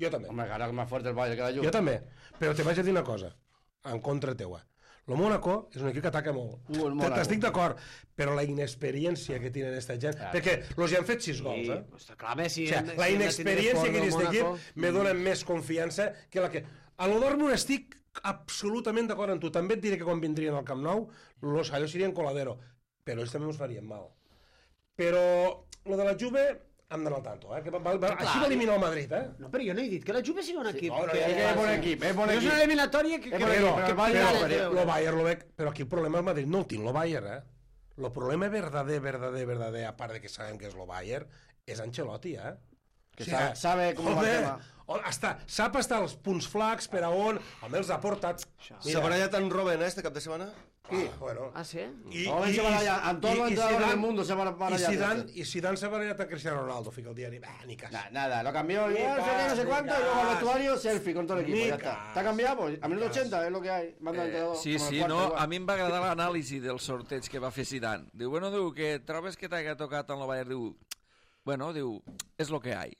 Jo també. Hombre, claro que es más fuerte el Bayern que la Juve. Jo també. Però te vaig a dir una cosa, en contra teua. El Mónaco és un equip que ataca molt. Uh, el Mónaco. T'estic d'acord, però la inexperiència que tenen aquesta gent... Claro. Perquè los ja han fet sis gols, eh? Està clar, bé, si... O sigui, la inexperiència que té aquest equip me dona més confiança que la que... A lo Dortmund estic absolutament d'acord amb tu. També et diré que quan vindrien al Camp Nou, los allò serien coladero. Però ells també ens farien mal. Però lo de la Juve hem d'anar al tanto, eh? Que va, va, va, així va eliminar el Madrid, eh? No, però jo no he dit que la Juve sigui un equip. no, no, que, ja, Es que es buen equipo, es buen Però és equip. una eliminatòria que... És que buen Però, equip, però el Bayern però, no lo però, creo. lo Bayern, lo veig, però aquí el problema del Madrid no el tinc, lo Bayern, eh? El problema verdader, verdader, verdader, a part de que sabem que és lo Bayern, és Ancelotti, eh? Que sabe- sabe com va el tema. o- Està, sap estar els punts flacs per a on, home els ha portat. S'ha barallat en Robben, eh, este cap de setmana? Qui? Ah, bueno. Ah, sí? I, Robben se baralla, en todos los entrenadores del mundo se van a barallar. I Zidane, i Zidane s'ha barallat a Cristiano Ronaldo, fica el diari. Bah, ni cas. Nah, nada, lo cambió. Ni Ya, no sé qué, no sé cas, cuánto, ni y luego al cas. vestuario, selfie con todo el equipo. Ni Ya está. cas, ¿Está cambiado? Pues a ni minuto cas. ochenta es lo que hay. Manda el entrenador, Sí, como el sí, cuarto, no, igual. a mi em va agradar l'anàlisi del sorteig que va fer Zidane. Diu, bueno, diu, que trobes que t'haga tocat en el Bayern? Diu, bueno, diu, és lo que hay.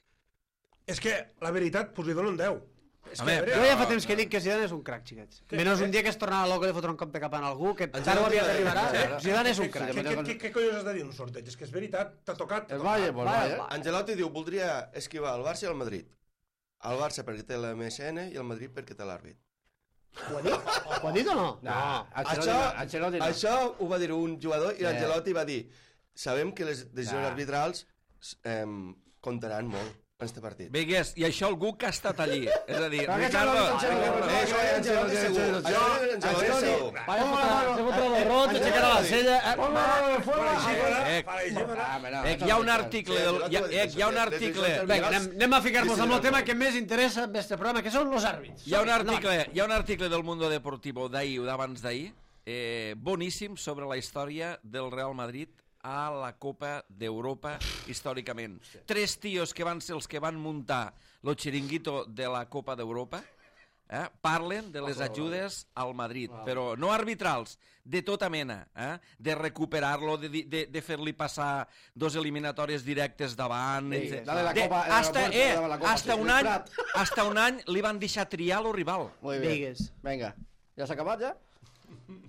És que, la veritat, pues li dono un deu. És Home, que, a veure, Jo ja fa temps que dic que Zidane és un crac, xiquets. Menys un dia que es tornava loco de fotre un cop de cap en algú, que tard o aviat arribarà. Zidane és un Què, crac. què, què, què collons has de dir en un sorteig? És que és veritat, t'ha tocat. t'ha El tocat. Bayern, pues el Vale, Bayern. va. Angelotti diu, voldria esquivar el Barça i el Madrid. El Barça perquè té l'M S N i el Madrid perquè té l'àrbit. Ho ha dit? Ho ha dit o no? Nah, Ancelotti Això, no, Ancelotti no. això ho va dir un jugador i Eh. Angelotti va dir sabem que les decisions Nah. arbitrals eh, comptaran molt en este partit. Vegues, i això algú que ha estat allí. És a dir, Però aquest Ricardo... xaval, aquest xaval, Eh, això és Ancelotti segur. Això és Ancelotti segur. Vaya fotre, se fotre el rot, se queda la sella... Pongo la mano de fuera... Eh, hi ha un article... Del, hi, ha, eh, hi ha un article... Vinga, anem, anem a ficar-nos amb el tema que més interessa en este programa, que són els àrbits. Hi ha un article, hi ha un article del Mundo Deportivo d'ahir o d'abans d'ahir, eh, boníssim, sobre la història del Real Madrid a la Copa d'Europa històricament. Tres tios que van ser els que van muntar el xiringuito de la Copa d'Europa eh, parlen de les ajudes al Madrid, però no arbitrals, de tota mena, eh, de recuperar-lo, de, de, de fer-li passar dos eliminatòries directes davant... Sí, de, la de la de, Copa- hasta, la eh, de la Copa, hasta, sí, un el any, Prat. hasta un any li van deixar triar el rival. Muy bien. Digues. Venga. ¿Ya se ha acabado ya?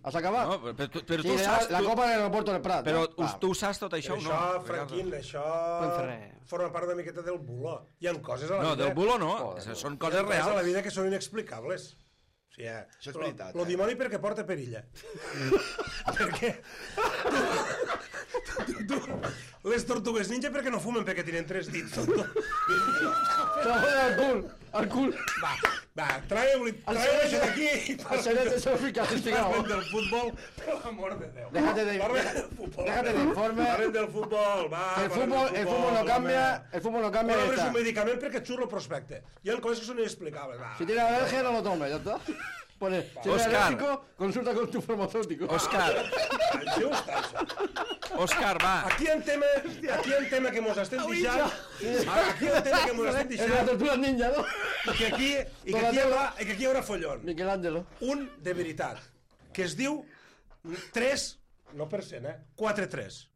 ¿Has acabado? No, però, tu- però Sí, tu la, saps... la Tu, Copa del aeropuerto del Prat. però no? Va. tu ho saps tot això o no? Això, Franquín, això Podem fer res. forma part una miqueta del bulo. Hi ha coses a la No, vida... del bulo no, Joder, són Hi ha coses coses a la reals. vida que són inexplicables. O sigui, Això és veritat, Lo eh? dimoni perquè porta perilla. perquè... Tu, tu, tu, les tortugues ninja perquè no fumen, perquè tenen tres dits. Te la foten al cul, al cul. Va, va, traiem-li El traiem això cerebro- d'aquí i El cerebro se lo fica parlem castigado. del futbol, per l'amor de Déu. Déjate de, Parlem del futbol. déjate de informe. Parlem del futbol, va. El parlem fútbol, del el fútbol no cambia, home. el fútbol no cambia. Però y és está. un medicament perquè et surt el prospecte. Hi ha coses que són inexplicables. Va. Si tiene alergia, no lo tome, ya está. Pone, si eres Oscar. alérgico, consulta con tu farmacéutico. Òscar, Això està, això. Òscar, va. Aquí en tema, aquí en tema que mos estem deixant, aquí en tema que mos estem Es la deixant, tortuga ninja, ¿no? i que aquí, i que aquí, hi haurà, i que aquí hi haurà follon. Michelangelo. Un de veritat, que es diu tres, no per cent, eh? quatre tres.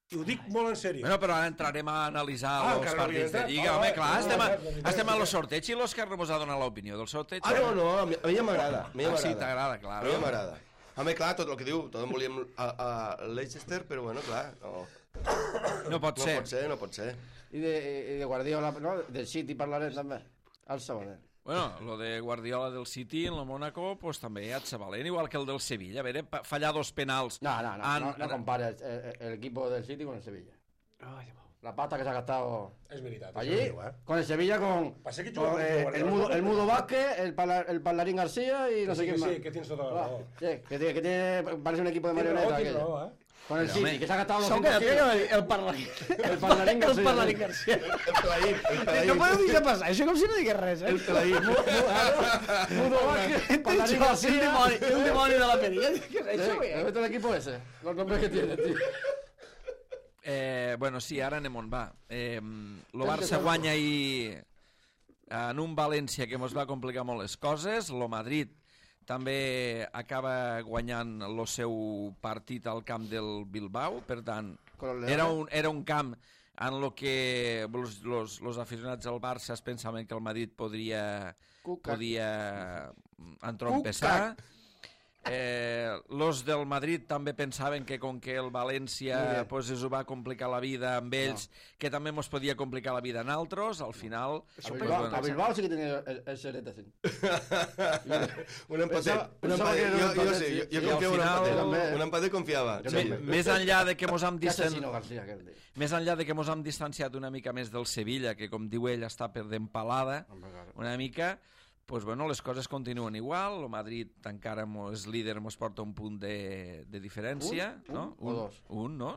I ho dic molt en sèrio. Bueno, però ara entrarem a analitzar Ah, els encara no partits de havia Lliga. entrat. Home, Ah, clar, no, estem, no, a, no, no, estem no. a los sorteig i l'Òscar no mos ha donat l'opinió del sorteig. Ah, no, no, a mi, a mi ja m'agrada. A mi ja Ah, sí, m'agrada. t'agrada, clar. A mi ja m'agrada. Home, clar, tot el que diu, tot volíem a, a Leicester, però bueno, clar, no, No pot no ser. pot ser, no pot ser. Y de, y de Guardiola, ¿no? Del City parlarem també. Al segon. Bueno, lo de Guardiola del City en el Mónaco, pues també et se valent, igual que el del Sevilla. A veure, pa- fallar dos penals. No, no, no, en- no, no compare el, el- el equipo del City con el Sevilla. Ai, Déu meu. La pasta que se ha gastado És veritat, això allí, ho diu, eh? con el Sevilla, con, Passa que con, juga eh, contra el, Guardiola. mudo, el Mudo Vázquez, el, parla- el Parlarín García y no Que sé sí, quién que más. sí, que tienes tota la Ah, raó. sí, que, tiene, que tiene, parece un equipo de Tens raó, marioneta. tens aquello. raó, eh? Con el Pero, City, hombre, que se ha gastado los Som que cientos tenia kilos. el Parlarín. El Parlarín García. El Parlarín García. El Pelaín, el Pelaín. No podeu deixar passar, això com si no digués res, eh? El Pelaín. Mudo Vázquez, Parlarín El García. dimoni, el dimoni de la perilla. Què és Sí, això, ¿has eh? visto el equipo ese? Los nombres que tiene, tío. Eh, bueno, sí, ara anem on va. Eh, lo Tens Barça que guanya ahir en un València que mos va complicar molt les coses. Lo Madrid també acaba guanyant el seu partit al camp del Bilbao. Per tant, Con los era Leones. un, era un camp en lo que los, los, los aficionats del Barça es pensaven que el Madrid podria, Cucac. podia entrompessar. Eh, los del Madrid també pensaven que com que el Muy València bien. pues, es ho va complicar la vida amb ells, que també mos podia complicar la vida en altres, al final... A Bilbao, a Bilbao sí que tiene el, el serete así. Un empatet. Pensava- Un pensava que empatet. era un Jo, jo empatet, sé, sí. jo, jo I al confio en un final- empatet. També. Un empatet confiava. Jo Sí. també. Més enllà de que mos hem Qué distan... asesino García, aquel tío. més enllà de que mos hem distanciat una mica més del Sevilla, que com diu ell està perdent palada Hombre, claro. una mica, pues bueno, les coses continuen igual. El Madrid encara mos, és líder, mos porta un punt de, de diferència. Un? no? Un o dos? Un, no?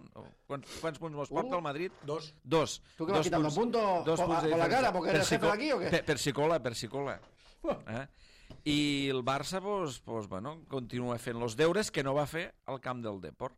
Quants, quants punts mos porta Un? el Madrid? Dos. Dos. ¿Tú qué vas Dos quitando puntos dos por- punts de por la diferència. cara porque eres Per jefe de aquí o qué? Per, per si cola, per si cola. Eh? I el Barça, pues, pues, bueno, continua fent els deures que no va fer al camp del Depor.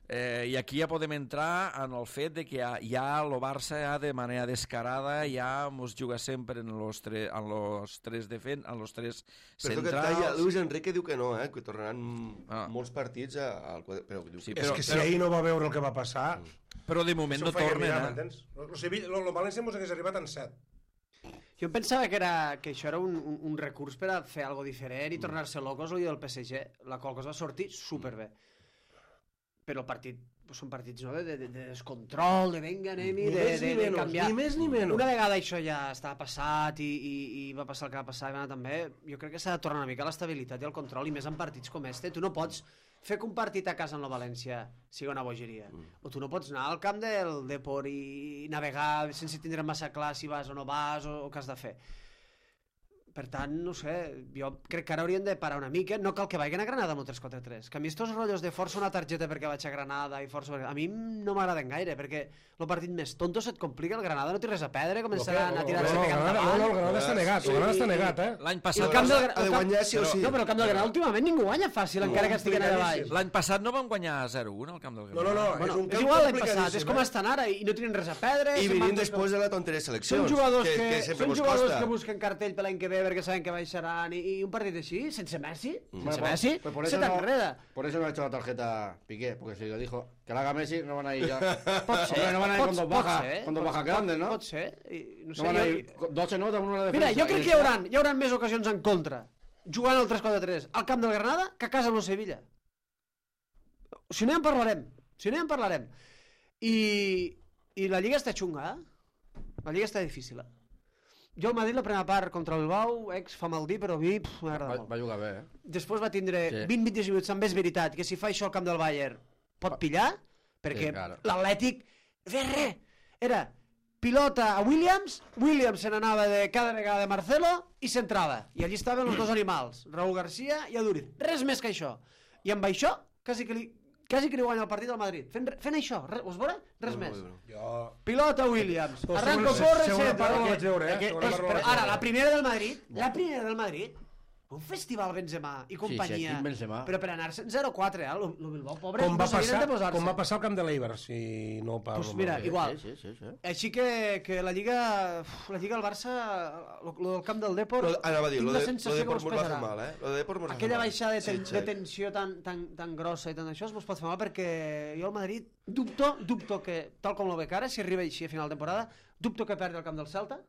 Eh, I aquí ja podem entrar en el fet de que ja, ja el Barça ja de manera descarada ja mos juga sempre en los, tre, en los tres defen, en los tres Perdó que et centrals. talla, Luis Enrique diu que no, eh? Que tornaran Ah. molts partits a- al quadre... Però diu Sí, que És però- que si però- ahir no va veure el que va passar... Però de moment no això ho feia tornen, mirar, eh? m'entens? Lo, lo, Sevilla- lo, lo València mos hagués arribat en set. Jo em pensava que, era, que això era un, un, un recurs per a fer algo diferent i tornar-se locos el dia del P S G, la qual cosa va sortir superbé. Però el partit són partits no? de, de, de descontrol, de venga, anem-hi, Ni de, més de, ni de menys, canviar. ni més ni menys. Una vegada això ja estava passat i, i, i va passar el que va passar i va anar també, jo crec que s'ha de tornar una mica a l'estabilitat i al control, i més en partits com este. Tu no pots fer que un partit a casa en la València sigui una bogeria. Mm. O tu no pots anar al camp del Depor i navegar sense tindre massa clar si vas o no vas o, o què has de fer. Per tant, no sé, jo crec que ara haurien de parar una mica. No cal que vagin a Granada amb el tres quatre tres. Que a mi estos rotllos de força una targeta perquè vaig a Granada i força... A mi no m'agraden gaire, perquè el partit més tonto se't complica. El Granada no té res a perdre, començaran a tirar-se no, no, cap no, davant. no, no, el Granada està negat, el Granada està negat, eh? L'any I passat... el camp del, Ha de el camp... guanyar sí o sí. No, però el camp del Granada últimament ningú guanya fàcil, encara que estiguen allà baix. L'any passat no van guanyar zero un al camp del No, Granada. no, no, Bueno, és un és camp igual l'any complicadíssim, passat, és com eh? estan ara i no tenen res a perdre. I se'n van venint tots- després de la tonteria de seleccions, Són jugadors que, que, que sempre són mos jugadors costa. que busquen cartell per l'any que ve perquè saben que baixaran i, i un partit així, sense Messi, sense Bueno, Messi, pues por se eso no- t'enreda. Por eso no ha hecho la tarjeta Piqué, porque si lo dijo que la haga Messi, no van a ir ya. Pot ser, Hombre, no van a ir pot- con dos pot bajas, ser, con dos pot- bajas grandes, ¿no? Pot ser, i, no sé, No van a jo- ir con- dos se nota, uno en la defensa. Mira, jo y crec que hi ya. haurà, hi haurà més ocasions en contra jugant al tres quatre tres al camp del Granada que a casa amb el Sevilla. Si no ja en parlarem, si no ja en parlarem. I, i la Lliga està xunga, eh? La Lliga està difícil, eh? Jo al Madrid la primera part contra el Bilbao, ex fa mal dir, però a mi pff, m'agrada Va, molt. va jugar bé, eh? Després va tindre Sí. vint a vint minuts, també és veritat, que si fa això al camp del Bayern pot pillar, perquè Sí, claro. l'Atlètic fes res. Era pilota a Williams, Williams se n'anava de cada vegada de Marcelo i s'entrava. I allí estaven els dos animals, Raúl García i Aduriz. Res més que això. I amb això, quasi que li, quasi que li guanya el partit al Madrid. Fent, fent això, res, us veurà? Res més. Jo... Pilota Williams, Però arranco, segona- corre, segona etcètera. part no la Que- vaig veure, eh? que- Segona és- part no la però vaig ara, veure. la primera del Madrid, la primera del Madrid, un festival Benzema i companyia, aquí Benzema. però per anar-se en zero quatre, eh? El, el Bilbao, pobre, Com va, no sabien passar, de posar-se. com va passar al camp de l'Eibar, si no parlo Pues mira, malament. igual. Sí, sí, sí, sí. Així que, que la Lliga, uf, la Lliga al Barça, lo, lo del camp del Depor, Lo, anava a dir, tinc lo la de, lo sensació de que Port mos mos va fer pesarà. mal, eh? Lo de Port mos va fer Aquella mal. baixada de, ten, Sí, de sí. tensió tan, tan, tan grossa i tant d'això es mos pot fer mal perquè jo al Madrid dubto, dubto que, tal com lo veig ara, si arriba així a final de temporada, dubto que perdi el camp del Celta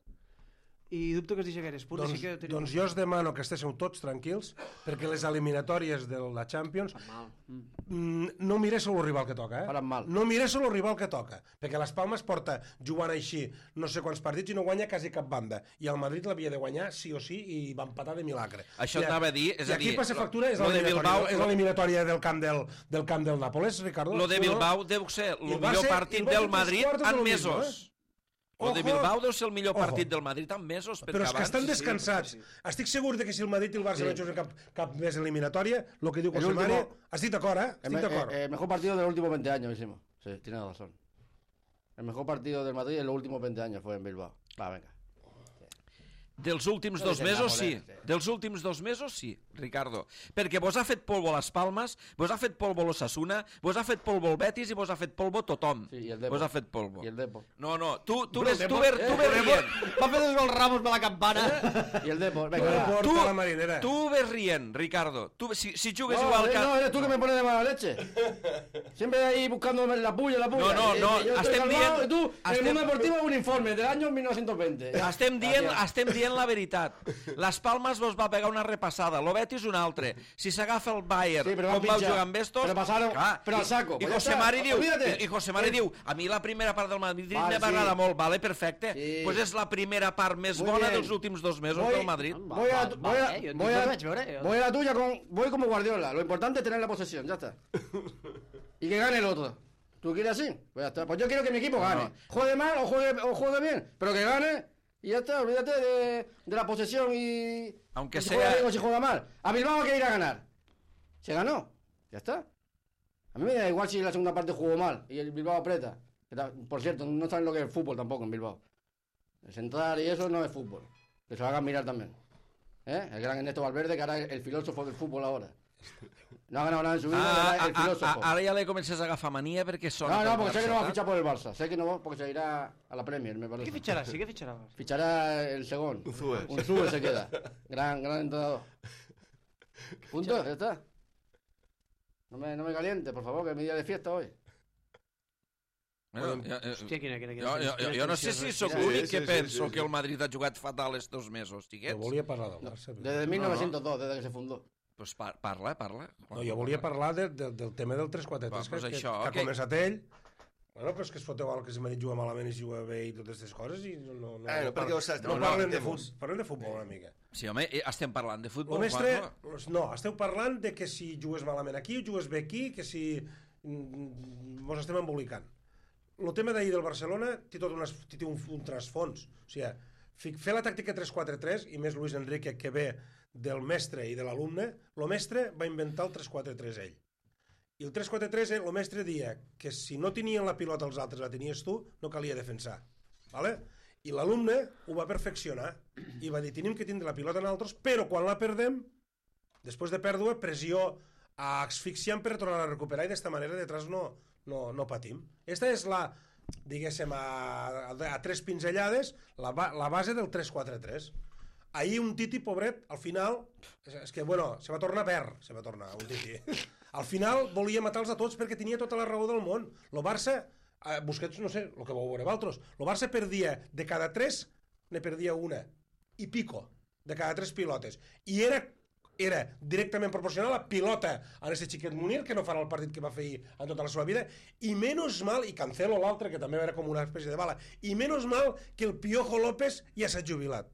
i dubto que es deixi gaires punts. Doncs, Així que teniu- doncs jo us demano que estigueu tots tranquils perquè les eliminatòries de la Champions Mal. Mm. mm, no miréssiu el rival que toca, eh? Faran mal. No miréssiu el rival que toca, perquè les Palmes porta jugant així no sé quants partits i no guanya quasi cap banda. I el Madrid l'havia de guanyar sí o sí i va empatar de milagre. Això I, anava a dir, és I a aquí dir, passa lo- factura, és lo de l'eliminatòria Bilbao- és l'eliminatòria del camp del, del camp del Nàpoles, Ricardo. Lo de Sí o no? Bilbao deu ser I el va millor ser- partit i va ser del tres Madrid quartos de en lo mismo, mesos. eh? Lo de Ojo. Bilbao deu ser el millor Ojo. partit del Madrid en mesos, perquè Però és que abans... estan descansats. Estic segur de que si el Madrid i el Barça no juguen cap, cap més eliminatòria, el que diu El José Mari... último- Estic d'acord, eh? El, Estic me- d'acord. eh, el mejor partido de los últimos veinte años hicimos. Sí, tiene razón. El mejor partido del Madrid en los últimos veinte años fue en Bilbao. Va, venga. Dels últims No dos és el mesos, sí. Nàpoles, sí. Dels últims dos mesos, sí, Ricardo. Perquè vos ha fet polvo les Palmes, vos ha fet polvo l'Osasuna, vos ha fet polvo el Betis i vos ha fet polvo tothom. Sí, i el Depor. Vos ha fet polvo. Y el Depor. No, no, tu, tu, Però ves, el tu, Depor- ves, tu eh, ves el rient. Va fer dos gols Ramos per la campana. Y el Depor. El Venga, va. Depor Tu, té la marinera. tu ves rient, Ricardo. Tu, si, si jugues No, igual eh, que... no, eres tú que me pones de mala leche. Siempre ahí buscándome la puya, la puya. No, no, Eh, no, Yo estoy estem calmado dient- y tú, el estem- mundo deportivo, un informe del año mil novecientos veinte. Estem dient, Gràcies. estem dient la veritat. Les Palmes vos va pegar una repassada, lo Betis un altre. Si s'agafa el Bayern, Sí, però van com vau pitjar. jugar amb estos... Però passaron- però al i- saco, I pues ja José està, Mari diu, olvídate. i, i José Mari diu, a mi la primera part del Madrid Vale, me va agradar sí. molt, vale, perfecte. Sí. Pues és la primera part més Muy bona bien. dels últims dos mesos Voy- del Madrid. Voy a, Va, voy a, va, eh, jo- voy jo a- ho vaig veure, jo. voy a la tuya con, voy como Guardiola. Lo importante es tener la posesión, ya está. Y que gane el otro. ¿Tú quieres así? Pues ya está. Pues yo quiero que mi equipo gane. Juegue mal o juegue, o juegue bien, pero que gane. Y ya está, olvídate de, de la posesión y... Aunque y si sea- juega bien o si juega mal. A Bilbao hay que ir a ganar. Se ganó. Ya está. A mí me da igual si la segunda parte jugó mal y el Bilbao aprieta. Que ta- Por cierto, no saben lo que es el fútbol tampoco en Bilbao. El central y eso no es fútbol. Que se lo hagan mirar también. ¿Eh? El gran Ernesto Valverde, que ahora es el filósofo del fútbol ahora. No ha ganado nada en su vida, Ah, y ahora ah, es el ah, filósofo. ah, ara ja li comences a agafar mania perquè sona... No, no, pel porque sé que no va a Barça, fichar por el Barça. Sé que no va porque se irá a la Premier, me parece. Què fitxarà? Sí, què fitxarà? Fichará el Segón. Unzúe. Unzúe se queda. Gran, gran entrenador. Punto, ya está. No me, no me caliente, por favor, que es mi día de fiesta hoy. Bueno, jo, jo, Hòstia, quina, quina, jo, jo, jo, jo no sé si sóc Sí, l'únic sí, que sí, penso sí, sí. que el Madrid ha jugat fatal estos mesos, Jo xiquets. volia parlar del Barça. però- Desde mil novecientos dos, desde que se fundó. Pues par parla, parla. No, jo volia parlar de, de, del tema del tres quatre tres, Va, pues que, això, que, que que- ha començat ell. Bueno, però és que es foteu al que si m'ha dit jugar malament i si juga bé i totes aquestes coses i no, no, no, Ah, no, perquè par- ho saps, no, no, no, parlen de entemos. futbol, parlem de futbol una mica. Sí, home, eh, estem parlant de Lo futbol, mestre, Juanjo. no, esteu parlant de que si jugues malament aquí, jugues bé aquí, que si mm, mos estem embolicant. El tema d'ahir del Barcelona té tot unes, té un, un trasfons. O sigui, fi- fer la tàctica tres quatre tres, i més Luis Enrique, que ve del mestre i de l'alumne, el mestre va inventar el tres quatre tres ell. I el tres quatre tres, el mestre dia que si no tenien la pilota els altres, la tenies tu, no calia defensar. Vale? I l'alumne ho va perfeccionar i va dir, tenim que tindre la pilota en altres, però quan la perdem, després de pèrdua, pressió asfixiant per tornar a recuperar i d'esta manera detrás no, no, no patim. Esta és la, diguéssim, a, a, a tres pinzellades, la, ba, la base del tres quatre tres. Ahir un Titi, pobret, al final, és, és que, bueno, se va tornar verd, se va tornar un Titi. Al final volia matar-los a tots perquè tenia tota la raó del món. El Barça, eh, Busquets, no sé, el que vau veure vosaltres, el Barça perdia de cada tres, ne perdia una, i pico, de cada tres pilotes. I era era directament proporcional a la pilota a aquest xiquet Munir, que no farà el partit que va fer ahir en tota la seva vida, i menys mal, i Cancelo l'altre, que també era com una espècie de bala, i menys mal que el Piojo López ja s'ha jubilat.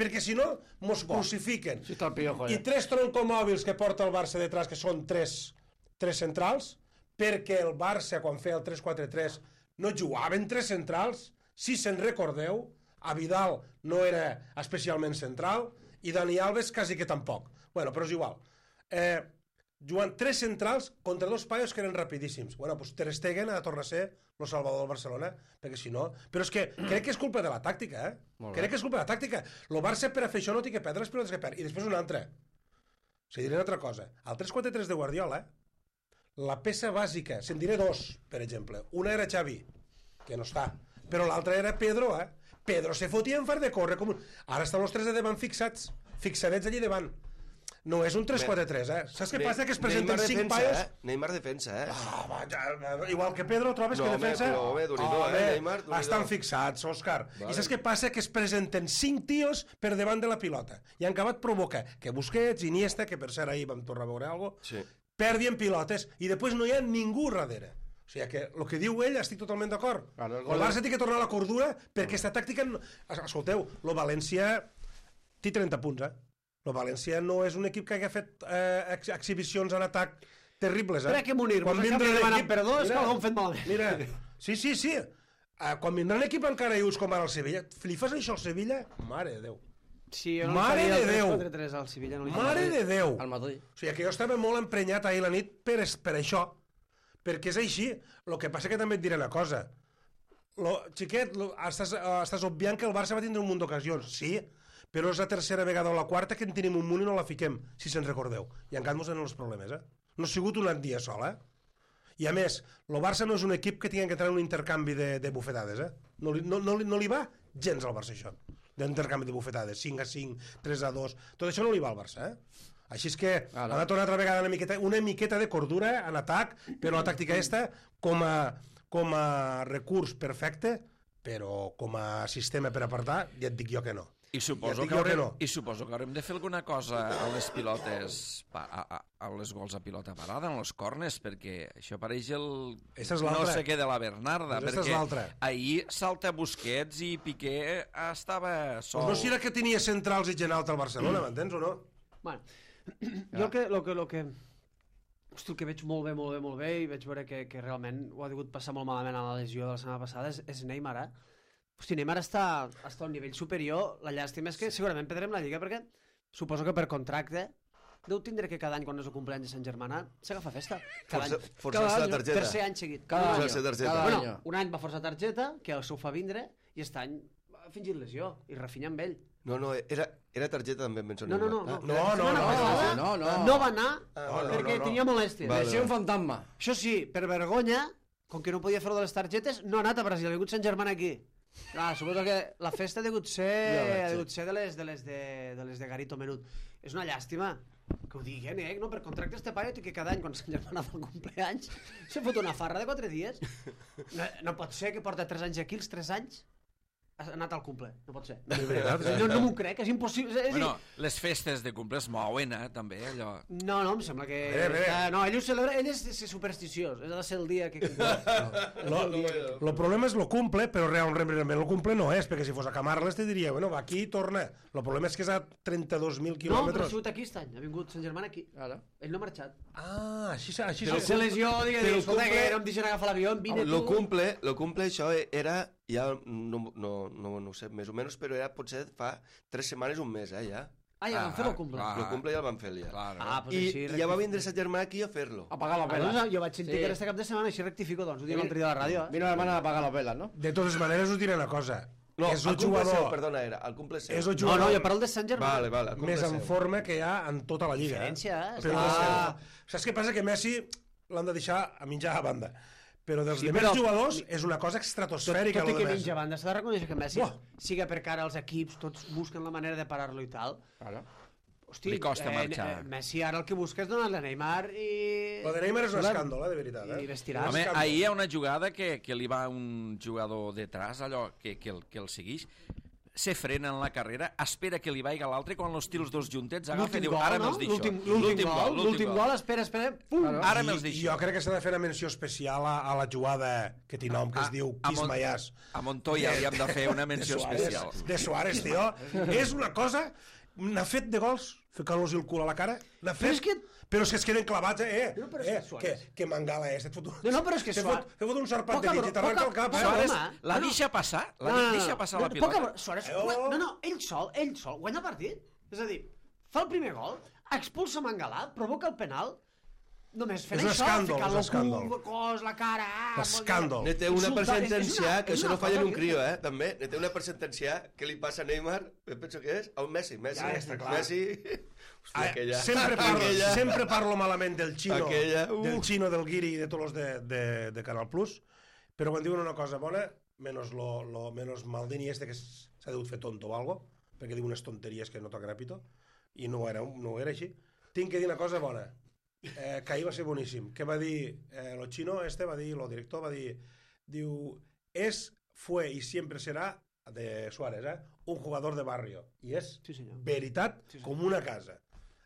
Perquè si no, mos crucifiquen. Sí està el Piojo, I ja. tres troncomòbils que porta el Barça detrás, que són tres, tres centrals, perquè el Barça, quan feia el tres quatre tres, no jugaven tres centrals. Si se'n recordeu, a Vidal no era especialment central, i Dani Alves quasi que tampoc. Bueno, però és igual. Eh, jugant tres centrals contra dos paios que eren rapidíssims. Bueno, doncs Ter Stegen ha de tornar a ser el salvador del Barcelona, perquè si no... Però és que crec que és culpa de la tàctica, eh? Crec que és culpa de la tàctica. El Barça per a fer això no té que perdre les pilotes que perd. I després una altra. O sigui, diré una altra cosa. El tres quatre tres de Guardiola, la peça bàsica, se'n diré dos, per exemple. Una era Xavi, que no està, però l'altra era Pedro, eh? Pedro se fotia en far de córrer com un... Ara estan els tres de davant fixats, fixadets allí davant. No és un tres quatre tres, eh? Saps què passa? Que es presenten Neymar cinc defensa, paios... Eh? Neymar defensa, eh? Ah, va, ja, igual que Pedro, trobes No, que home, defensa... però, home, Déu-n'hi-do, eh, Home, Neymar, Déu-n'hi-do. estan fixats, Òscar. Vale. I saps què passa? Que es presenten cinc tios per davant de la pilota. I han acabat provoca que Busquets, Iniesta, que per cert ahir vam tornar a veure alguna cosa, Sí. perdien pilotes i després no hi ha ningú darrere. O sigui que el que diu ell estic totalment d'acord. Claro, el El, gol Barça de- té que tornar a la cordura perquè aquesta tàctica... no- Escolteu, el València té trenta punts, eh? El València no és un equip que hagi fet eh, ex exhibicions en atac terribles, eh? Espera que Munir, Quan vos vindrà acaba de demanar l'equip- perdó, és que Mira, algú hem fet malament. Mira, sí, sí, sí. Uh, quan vindrà un equip encara ius com ara el Sevilla, li fas això al Sevilla? Mare de Déu. Sí, jo no Mare li faria de el tres Déu. quatre tres al Sevilla. No li Mare faria. de Déu. Al Madrid. O sigui que jo estava molt emprenyat ahir la nit per, es- per això, perquè és així. El que passa que també et diré una cosa. Lo, xiquet, lo, estàs, uh, estàs obviant que el Barça va tindre un munt d'ocasions, sí, però és la tercera vegada o la quarta que en tenim un munt i no la fiquem, si se'n recordeu. I encara mos en els problemes, eh? No ha sigut un dia sol, eh? I a més, el Barça no és un equip que tingui que entrar en un intercanvi de, de bufetades, eh? No li, no, no, li- no li va gens al Barça, això, d'intercanvi de bufetades, cinc a cinc, tres a dos, tot això no li va al Barça, eh? Així és que Ara. ha de tornar altra vegada una miqueta, una miqueta de cordura en atac, però la tàctica esta, com a, com a recurs perfecte, però com a sistema per apartar, ja et dic jo que no. I suposo, Ja et dic que jo que haurem, no. I suposo que haurem de fer alguna cosa a les pilotes, pa- a, a, a les gols a pilota parada, en les cornes, perquè això pareix el Esta és no l'altra. sé què de la Bernarda, Pues esta és perquè l'altra. ahir salta Busquets i Piqué estava sol. Pues no serà que tenia centrals i gent alta al Barcelona, m'entens o no? Bueno, jo el que, lo que, lo que... Hosti, el que veig molt bé, molt bé, molt bé, i veig veure que, que realment ho ha degut passar molt malament a la lesió de la setmana passada, és, és Neymar, eh? Hosti, Neymar està, està a un nivell superior, la llàstima és que segurament perdrem la Lliga perquè suposo que per contracte deu tindre que cada any quan és el cumpleaños de Sant Germana s'agafa festa. Cada Força- any. forçar-se Cada la any, targeta. Tercer any seguit. Cada Un any. Forçar-se targeta. Cada Bueno, any. un any va forçar targeta, que s'ho fa vindre, i aquest any ha fingit lesió, i refinya amb ell. No, no, era, era targeta també, em penso. No, no, no. Ah, no, no, La no, setmana no, passada no, no. no va anar Ah, no, perquè no, no. tenia molèsties. Vale. Lesió un fantasma. Això sí, per vergonya, com que no podia fer-ho de les targetes, no ha anat a Brasil, ha vingut Sant Germán aquí. Clar, suposo que la festa ha degut ser, Ja veig, ha sí. degut ser de, les, de, les de, de les de Garito Menut. És una llàstima que ho diguen, eh? No, per contracte este paio té que cada any, quan Sant Germán fa el cumpleaños, se fot una farra de quatre dies. No, no pot ser que porta tres anys aquí, els tres anys. ha anat al cumple, no pot ser. De veritat, És a dir, no, no m'ho crec, és impossible. És a dir, Bueno, les festes de cumple es mouen, eh, també, allò... no, no, em sembla que... Bé, bé. Està... No, ell ho celebra, ell és, és supersticiós, és ha de ser el dia que... Lo, lo problema és lo cumple, però realment lo cumple no és, perquè si fos a Camarles te diria, bueno, va aquí i torna. Lo problema és que és a trenta-dos mil No, però ha quilòmetres. sigut aquí aquest any, ha vingut Sant Germán aquí. Claro. Ell no ha marxat. Ah, així, així Però se lesió, digue, però digue, escolta, cumple- que no em deixen agafar l'avió, vine tu... Lo cumple, lo cumple això era, ja no, no, no, no ho sé, més o menys, però era potser fa tres setmanes, un mes, eh, ja. Ah, ja van fer el cumple. clar. Lo cumple ja el van fer ja. Claro. Ah, pues I, així... I ja va vindre sa germà aquí a fer-lo. A pagar las Ah, velas. doncs, jo vaig sentir Sí. que era este cap de setmana, així rectifico, doncs, ho dic l'altre dia a la ràdio. Eh? Vino la hermana a pagar las velas, ¿no? De totes maneres us diré una cosa. No, és el el cumple seu, jugador, perdona, era, el cumple seu. és el No, jugador no, jo parlo de Sant Germán. Vale, vale, el cumple més en seu. forma que hi ha en tota la lliga. Diferència, eh? Però, Està- saps què passa? Que Messi l'han de deixar a mitja banda. Però dels Sí, sí, demés però- jugadors és una cosa Tot, estratosfèrica. tot i lo que de Messi. mitja banda, s'ha de reconèixer que Messi, Buah. siga per cara als equips, tots busquen la manera de parar-lo i tal. Claro. Hosti, Li costa marxar. Eh, Messi ara el que busca és donar-li a Neymar i... Lo de Neymar és un Volem- escàndol, eh, de veritat. Eh? I vestiràs. Home, escàndol. ahir hi ha una jugada que, que li va un jugador detrás, allò que, que, el, que el segueix, se frena en la carrera, espera que li vagi l'altre, quan els tirs dos juntets agafa i diu, ara me'ls deixo. L'últim l'últim gol, l'últim gol, espera, espera, pum! Claro. Ara me'ls I, deixo. jo crec que s'ha de fer una menció especial a, a la jugada que té nom, que es A- diu a Mon- Quismayàs. A Montoya li hem de fer una menció de Suárez, especial. De Suárez, tio. És una cosa... N'ha fet de gols, ficant-los el cul a la cara. N'ha fet... és que- Però és que es queden clavats, eh? Però- però és eh que Suárez- que, que mangala és. Et fot un... No, no, però és que te Suárez- fot, te fot un sarpat Poca de mig bro- i t'arranca poca- el cap. poca Eh? broma. Suárez la No, no. deixa passar, la No, no, no, deixa passar la no, pilota. poca- Suárez, Oh. no, no, ell sol, ell sol, guanya el partit. És a dir, fa el primer gol, expulsa Mangalà, provoca el penal, només fent És un això, escàndol, ficant és un el escàndol. cul, cos, la cara... ah, Escàndol. Ne té una per Insultar, és- és sentenciar, una- que és això una no falla en cosa un que- crio, eh, també. Ne té una per sentenciar que li passa a Neymar, eh, penso que és, al Messi. Messi, Ja està clar. Messi... Hòstia, Ah, aquella... sempre, parlo, aquella... sempre parlo malament del Xino, Aquella, uh. del Xino, del Guiri i de tots els de, de, de Canal Plus, però quan diuen una cosa bona, menos, lo, lo, menos Maldini este que s'ha degut fer tonto o algo, perquè diu unes tonteries que no toca repito, i no ho era, no ho era així. Tinc que dir una cosa bona, eh, que ahir va ser boníssim. Què va dir eh, lo Xino este, va dir, lo director va dir, diu, es, fue y siempre será, de Suárez, eh, un jugador de barrio. I és Sí, senyor. veritat Sí, senyor. com una casa.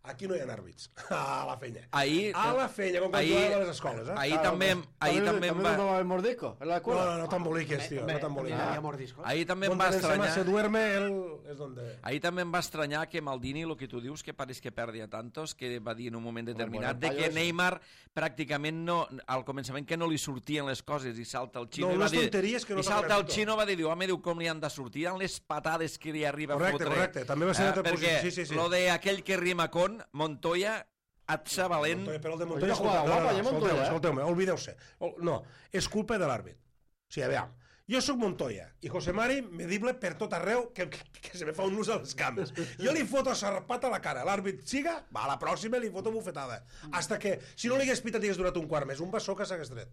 Aquí no hi ha àrbits. A la fenya. Ahir, A la fenya, com quan ahir- jugàvem a les escoles, eh? ahir també, ahir també em ¿También va... nos va a haber mordisco en la No, escuela? no, no t'emboliques, tio, no Hi ha, t'emboliques. hi ha mordiscos. Ah, Ahir també em Donde va Benzema estranyar... se duerme, él és donde... Ahir també em va estranyar que Maldini, el que tu dius, que pareix que perdi a tantos, que va dir en un moment determinat bueno, de que payo ese. Neymar pràcticament no, al començament que no li sortien les coses i salta el Xino No, i va unes dir... tonteries que no I salta el t'agrada, Xino va dir, home, diu, com li han de sortir? Eren les patades que li arriba Correcte, a fotre. correcte, també va ser Eh, una altra perquè posició, sí, sí, sí. lo de aquell que rima con Montoya, atxa valent... Montoya, però el de Oye, Montoya... una jugada escolta, guapa, ja Montoya, eh? Escolteu-me, oblideu-se. O- No, és culpa de l'àrbit. O sigui, aviam, jo sóc Montoya i José Mari medible per tot arreu que, que, que se me fa un nus a les cames. Jo li foto sarpat a la cara, l'àrbit siga, va, a la pròxima li foto bufetada. Hasta que, si no li hagués pitat i hagués durat un quart més, un bessó que s'hagués tret.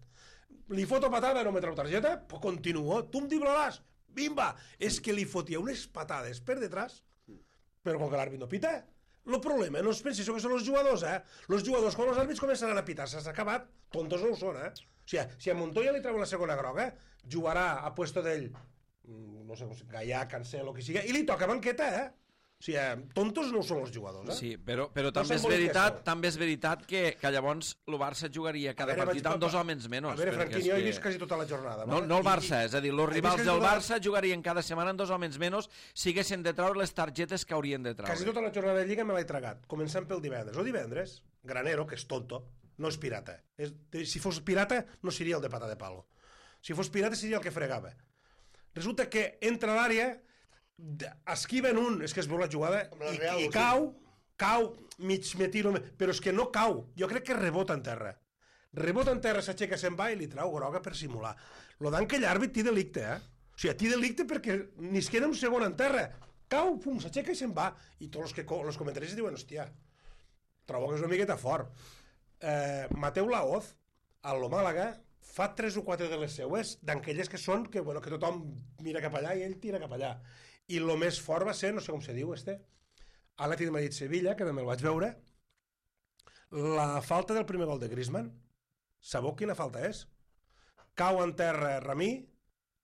Li foto patada, no me trau targeta, pues continuo, tu em driblaràs, bimba! És que li fotia unes patades per detrás, però com que l'àrbit no pita, el problema no es pensi això que són els jugadors, eh? Els jugadors, quan els àrbits començaran a pitar, s'ha acabat, tontos no ho són, eh? O sigui, si a Montoya li treuen la segona groga, jugarà a puesto d'ell, mm, no sé, Gaià, Cancelo, qui sigui, i li toca banqueta, eh? O sigui, tontos no ho són els jugadors, eh? Sí, però, però No també és s'emboliqueu. veritat, també és veritat que, que llavors el Barça jugaria cada A veure, partit vaig amb dos tot- homes menys. A veure, perquè Franquini, és jo he que- vist quasi tota la jornada. No, vale? no el I- Barça, és a dir, els He vist rivals quasi del tota la- Barça jugarien cada setmana amb dos homes menys si haguessin de treure les targetes que haurien de treure. Quasi tota la jornada de Lliga me l'he tragat, començant pel divendres. O divendres, Granero, que és tonto, no és pirata. És, si fos pirata, no seria el de pata de palo. Si fos pirata, seria el que fregava. Resulta que entra a l'àrea, d- esquiven un, és que es veu la jugada, la i, Real, i sí. cau, cau, mig me tiro, però és que no cau. Jo crec que rebota en terra. Rebota en terra, s'aixeca, se'n va i li trau groga per simular. Lo dan que l'àrbit té delicte, eh? O sigui, té delicte perquè ni es queda un segon en terra. Cau, pum, s'aixeca i se'n va. I tots els, que, co- els comentaris diuen, hòstia, trobo que és una miqueta fort. Eh, Mateu Laoz, a lo Màlaga, fa tres o quatre de les seues, d'aquelles que són que, bueno, que tothom mira cap allà i ell tira cap allà. I lo més fort va ser, no sé com se diu, este, Atlètic de Madrid-Sevilla, que també el vaig veure, la falta del primer gol de Griezmann. Sabeu quina falta és? Cau en terra Ramí,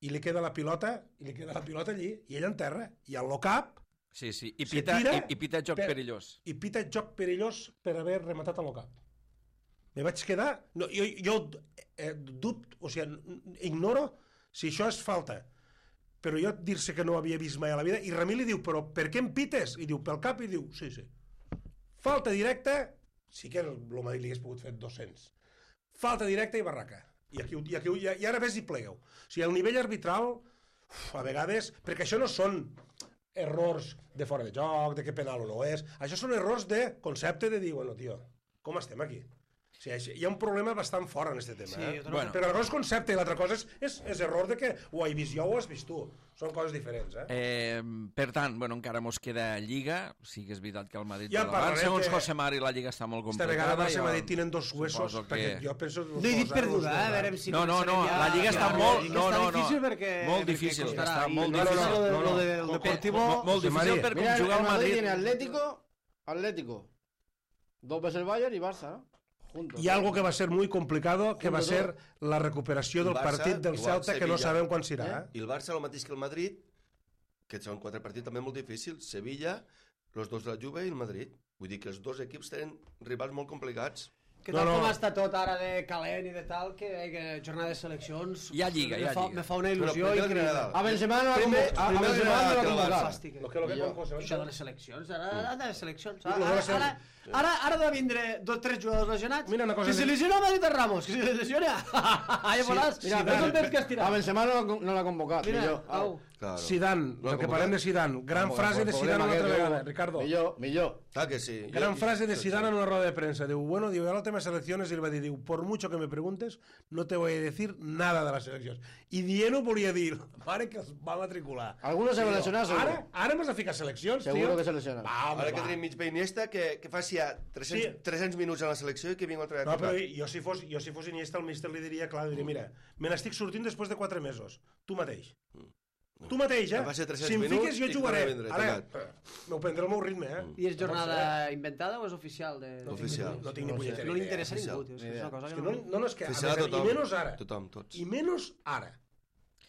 i li queda la pilota, i li queda la pilota allí, i ell enterra, i al low-cap... Sí, sí, i Se pita, tira i, i pita joc per- perillós. I pita joc perillós per haver rematat al low-cap. Me vaig quedar... No, jo jo eh, dubto, o sigui, ignoro si això és falta. Però jo dir-se que no ho havia vist mai a la vida, i Ramí li diu, però per què em pites? I diu, pel cap, i diu, sí, sí. Falta directa, sí que el Madrid li hagués pogut fer dos-cents. Falta directa i barraca. I, aquí, i, aquí, i, i ara ves i plegueu. O sigui, el nivell arbitral, uf, a vegades, perquè això no són errors de fora de joc, de que penal o no és, això són errors de concepte de dir, bueno, tio, com estem aquí? O sigui, hi ha un problema bastant fort en aquest tema, Sí, eh? jo també- Bueno. Però una cosa és concepte i l'altra cosa és, és, és error de que ho he vist jo o ho has vist tu. Són coses diferents, eh? Eh, per tant, bueno, encara mos queda Lliga, sí que és veritat que el Madrid Ja va davant. parlarem Segons que José Mari, la Lliga està molt Esta complicada. vegada Barça i jo Madrid tenen dos huesos, suposo que- perquè jo penso... No he dit perduda, eh? A veure si... No, no, no, començarem ja- la Lliga està ja- molt- ja no, està no, no. difícil perquè... Molt perquè difícil, costarà. està I molt no, difícil. No, no, No, lo no. del Com- Deportivo... Molt, molt José difícil Mari. per Mira, conjugar el el Madrid Madrid. tiene Atlético, Atlético, dos veces el Bayern y Barça, ¿no? Juntos. Hi ha algo que va ser muy complicado, que va Junto ser la recuperació del El Barça, partit del igual, Celta, que no Sevilla. sabem quan serà. Eh? I el Barça, el mateix que el Madrid, que són quatre partits també molt difícils. Sevilla, els dos de la Juve i el Madrid. Vull dir que els dos equips tenen rivals molt complicats. Que No, tal no. com està tot ara de calent i de tal, que, que jornada de seleccions... Hi ha lliga, hi ha me fa, lliga. Me fa una Però il·lusió primer el increïble. Granada. A Benzema no la Primer- convoca- a- a primer Benzema no Granada la que el convoca. Fàstic. Lo que, lo que, Millor. com, com, Això de les seleccions, ara, ara de les seleccions. lo Ara, que va ser- ara, ara, ara ha de vindre dos tres jugadors lesionats. Mira una cosa que se que- lesiona Madrid de Ramos, que se lesiona. Ahí volàs. sí, Mira, sí, ves dale. el temps que has A tirat. Benzema no, la- no l'ha convocat. Mira, millor. au. Claro. Zidane, No, el que com parlem que- de Zidane. Gran Como frase el de Zidane problema una altra que té, vegada, Ricardo. Millor, millor. Ah, que sí. Gran Jo- frase de sí, Zidane sí. en una rueda de prensa. Diu, bueno, diu, a la tema selecciones, y le va dir, diu, por mucho que me preguntes, no te voy a decir nada de las seleccions. I dient-ho volia dir, mare que es va matricular. Algunos se van a lesionar, seguro. Ara, ara m'has de ficar seleccions, Seguro tio. que se lesiona. Va, home, Ara que va. tenim mig Iniesta, que, que faci ja tres-cents, Sí. tres-cents minuts a la selecció i que vingui altra No, però vegada. jo si fos, jo si fos Iniesta, el míster li diria, clar, diria, mira, me n'estic sortint després de quatre mesos. Tu mateix. Tu mateix, eh? Em va ser tres-cents Si em minuts fiques, jo i jugaré. torna a vindre, Ara, tancat. m'ho prendré al meu ritme, eh? I és jornada inventada o és oficial? De... No tinc Oficial. ni- No tinc ni No sé. punyetera No li idea. interessa a oficial. ningú, tio. És que és una cosa És que que no... no, no, no és que... a Oficial més, tothom. I menys ara. Tothom, tots. I menys ara.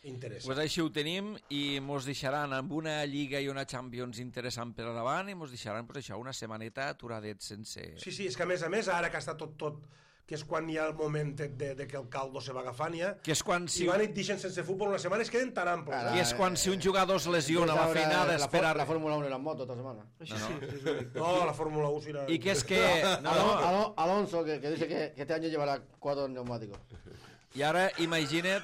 Interessa. Pues així ho tenim i mos deixaran amb una Lliga i una Champions interessant per davant i mos deixaran pues, això, una setmaneta aturadets sense... Sí, sí, és que a més a més, ara que està tot, tot, que és quan hi ha el moment de, de que el caldo se va agafant ja, Que és quan si, si van i et deixen sense futbol una setmana, es queden tan amples. Ara, Eh? que és quan si un jugador es lesiona la Ahora feina la, d'esperar... la Fórmula uno y las motos esta semana. Això sí, és únic. No, la Fórmula uno serà... I que és que... No, Alon- no, Alon- Alonso, que, que dice que, que este año llevará cuatro neumáticos. I ara imagina't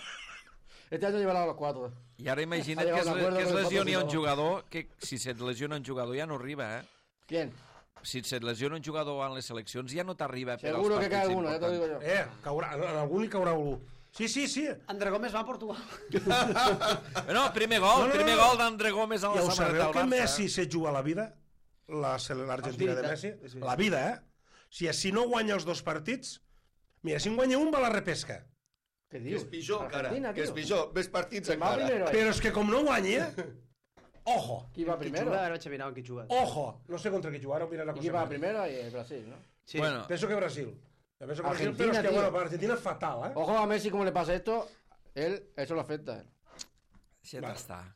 Este año llevará los cuatro. I ara imagina't Ha que llegado es, a un acuerdo que es con el lesioni un patrocinador. jugador, que si se't lesiona un jugador ja no arriba, eh? ¿Quién? Si se't lesiona un jugador en les seleccions ja no t'arriba per als Seguro que partits cae alguno, ya te lo digo importants. yo. Eh, caurà, en algú li caurà algú. Sí, sí, sí. André Gómez va a Portugal. No, primer gol, No, no, no, primer no. gol d'André Gómez a Ja la ho samarreta sabeu del que Barça. Messi se juga la vida? La sele- L'Argentina de És Messi? veritat, és veritat. La vida, eh? Si, si no guanya els dos partits... Mira, si en guanya un, va a la repesca. ¿Qué Que dios? és pitjor encara, Argentina, que és tío. pitjor. Més partits Va encara. primero ahí. Però és que com no guanya... Ojo, ¿Quién va Qui primero? juga? Ara vaig a mirar amb qui juga. ojo. No sé contra qui jugar, ho mirarà ¿Y quién va primero? Y el Brasil, ¿no? Sí. Bueno, Penso que Brasil. Jo penso que Brasil, Argentina, però és que, tío. bueno, per Argentina és fatal, eh? Ojo a Messi, cómo le pasa esto. Él, eso lo afecta. deixa't Va. estar.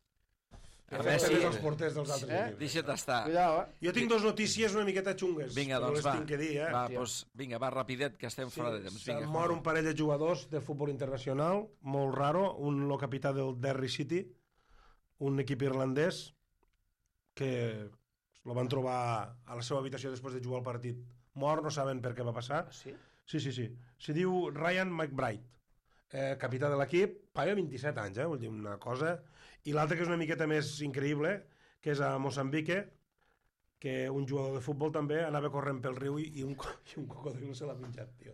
Que A afecta Messi, més els porters dels altres Eh? equips. deixa't estar. Cuidado, ¿eh? Jo tinc dos notícies una miqueta xungues. Vinga, però doncs les va. tinc que dir, eh? Va, Hòstia. doncs, vinga, va rapidet, que estem fora de temps. Se'n Vinga, mor un parell de jugadors de futbol internacional, molt raro, un el capità del Derry City, un equip irlandès, que lo van trobar a la seva habitació després de jugar el partit mort, no saben per què va passar. Sí? Sí, sí, sí. Se diu Ryan McBride, eh, capità de l'equip, paga vint-i-set anys, eh, vull dir, una cosa... I l'altre que és una miqueta més increïble, que és a Moçambique, que un jugador de futbol també anava corrent pel riu i, i, un, co- i un cocodrilo se l'ha menjat, tio.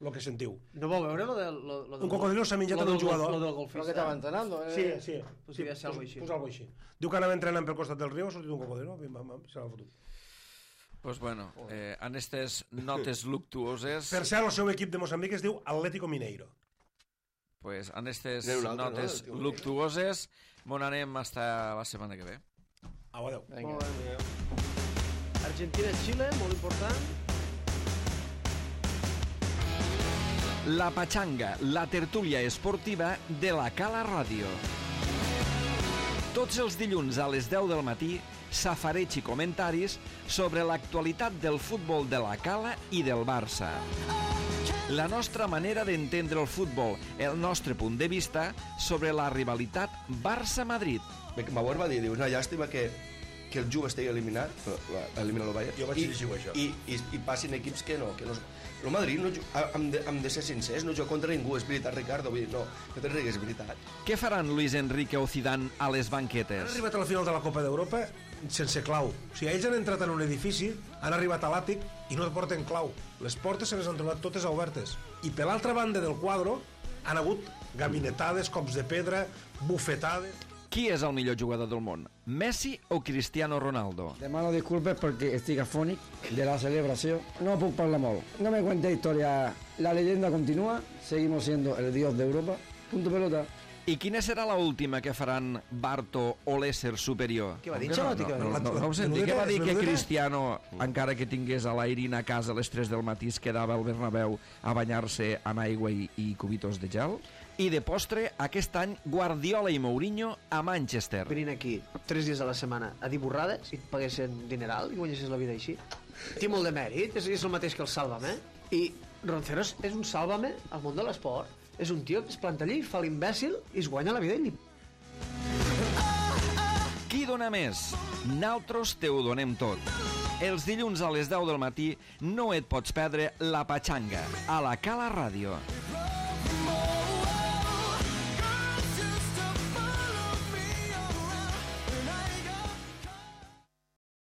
Lo que sentiu. No vau veure lo del... Lo, lo del Un cocodrilo s'ha menjat lo en del un jugador. Lo del Creo que golfista. estaba entrenando. Sí, ¿eh? sí. Pues sí devia ser algo així. Pues algo així. Diu que anava entrenant pel costat del riu, ha sortit un cocodrilo, bim, bam, bam, se l'ha fotut. Pues bueno, eh, en aquestes notes luctuoses, Per cert, el seu equip de Moçambic es diu Atlético Mineiro. pues en aquestes N'hi ha un altre, no? notes Del tio luctuoses, mon anem hasta la setmana que ve. Au, adéu. Venga. Molt bé. Argentina-Xile, molt important. La Patxanga, la tertúlia esportiva de la Cala Ràdio. Tots els dilluns a les deu del matí, safareig i comentaris sobre l'actualitat del futbol de la Cala i del Barça. La nostra manera d'entendre el futbol, el nostre punt de vista sobre la rivalitat Barça-Madrid. Bauer va dir, diu, una llàstima que, que el Juve estigui eliminat, elimina el Bayern, Jo vaig llegir això. I, i, i passin equips que no, que no... El Madrid, no, hem, de, hem de ser sincers, no juga contra ningú, és veritat, Ricardo, vull dir, no, no te rigues, és veritat. Què faran Luis Enrique o Zidane a les Han banquetes? arribat a la final de la Copa d'Europa sense clau. O sigui, ells han entrat en un edifici, han arribat a l'àtic i no porten clau. Les portes se les han trobat totes obertes. I per l'altra banda del quadro han hagut gabinetades, cops de pedra, bufetades... Qui és el millor jugador del món? Messi o Cristiano Ronaldo? Demano disculpes porque estic afònic de la celebració. No puc parlar molt. No me cuente historia. La leyenda continúa. Seguimos siendo el dios de Europa. Punto pelota. I quina serà la última que faran Barto o l'ésser superior? Què va dir, No, Xalotti? no, no, no, no, no ho senti. Què va dir que Cristiano, encara que tingués a l'Airina a casa a les tres del matí, es quedava al Bernabéu a banyar-se amb aigua i, i cubitos de gel? I de postre, aquest any, Guardiola i Mourinho a Manchester. Venint aquí tres dies a la setmana a dir borrades i et paguessin dineral i guanyessis la vida així. Té molt de mèrit, és, és el mateix que el Sálvame. I Ronceros és un Sálvame al món de l'esport. És un tio que es planta allí, fa l'imbècil i es guanya la vida i li... Qui dona més? Naltros te ho donem tot. Els dilluns a les deu del matí no et pots perdre La Patxanga a la Cala Ràdio.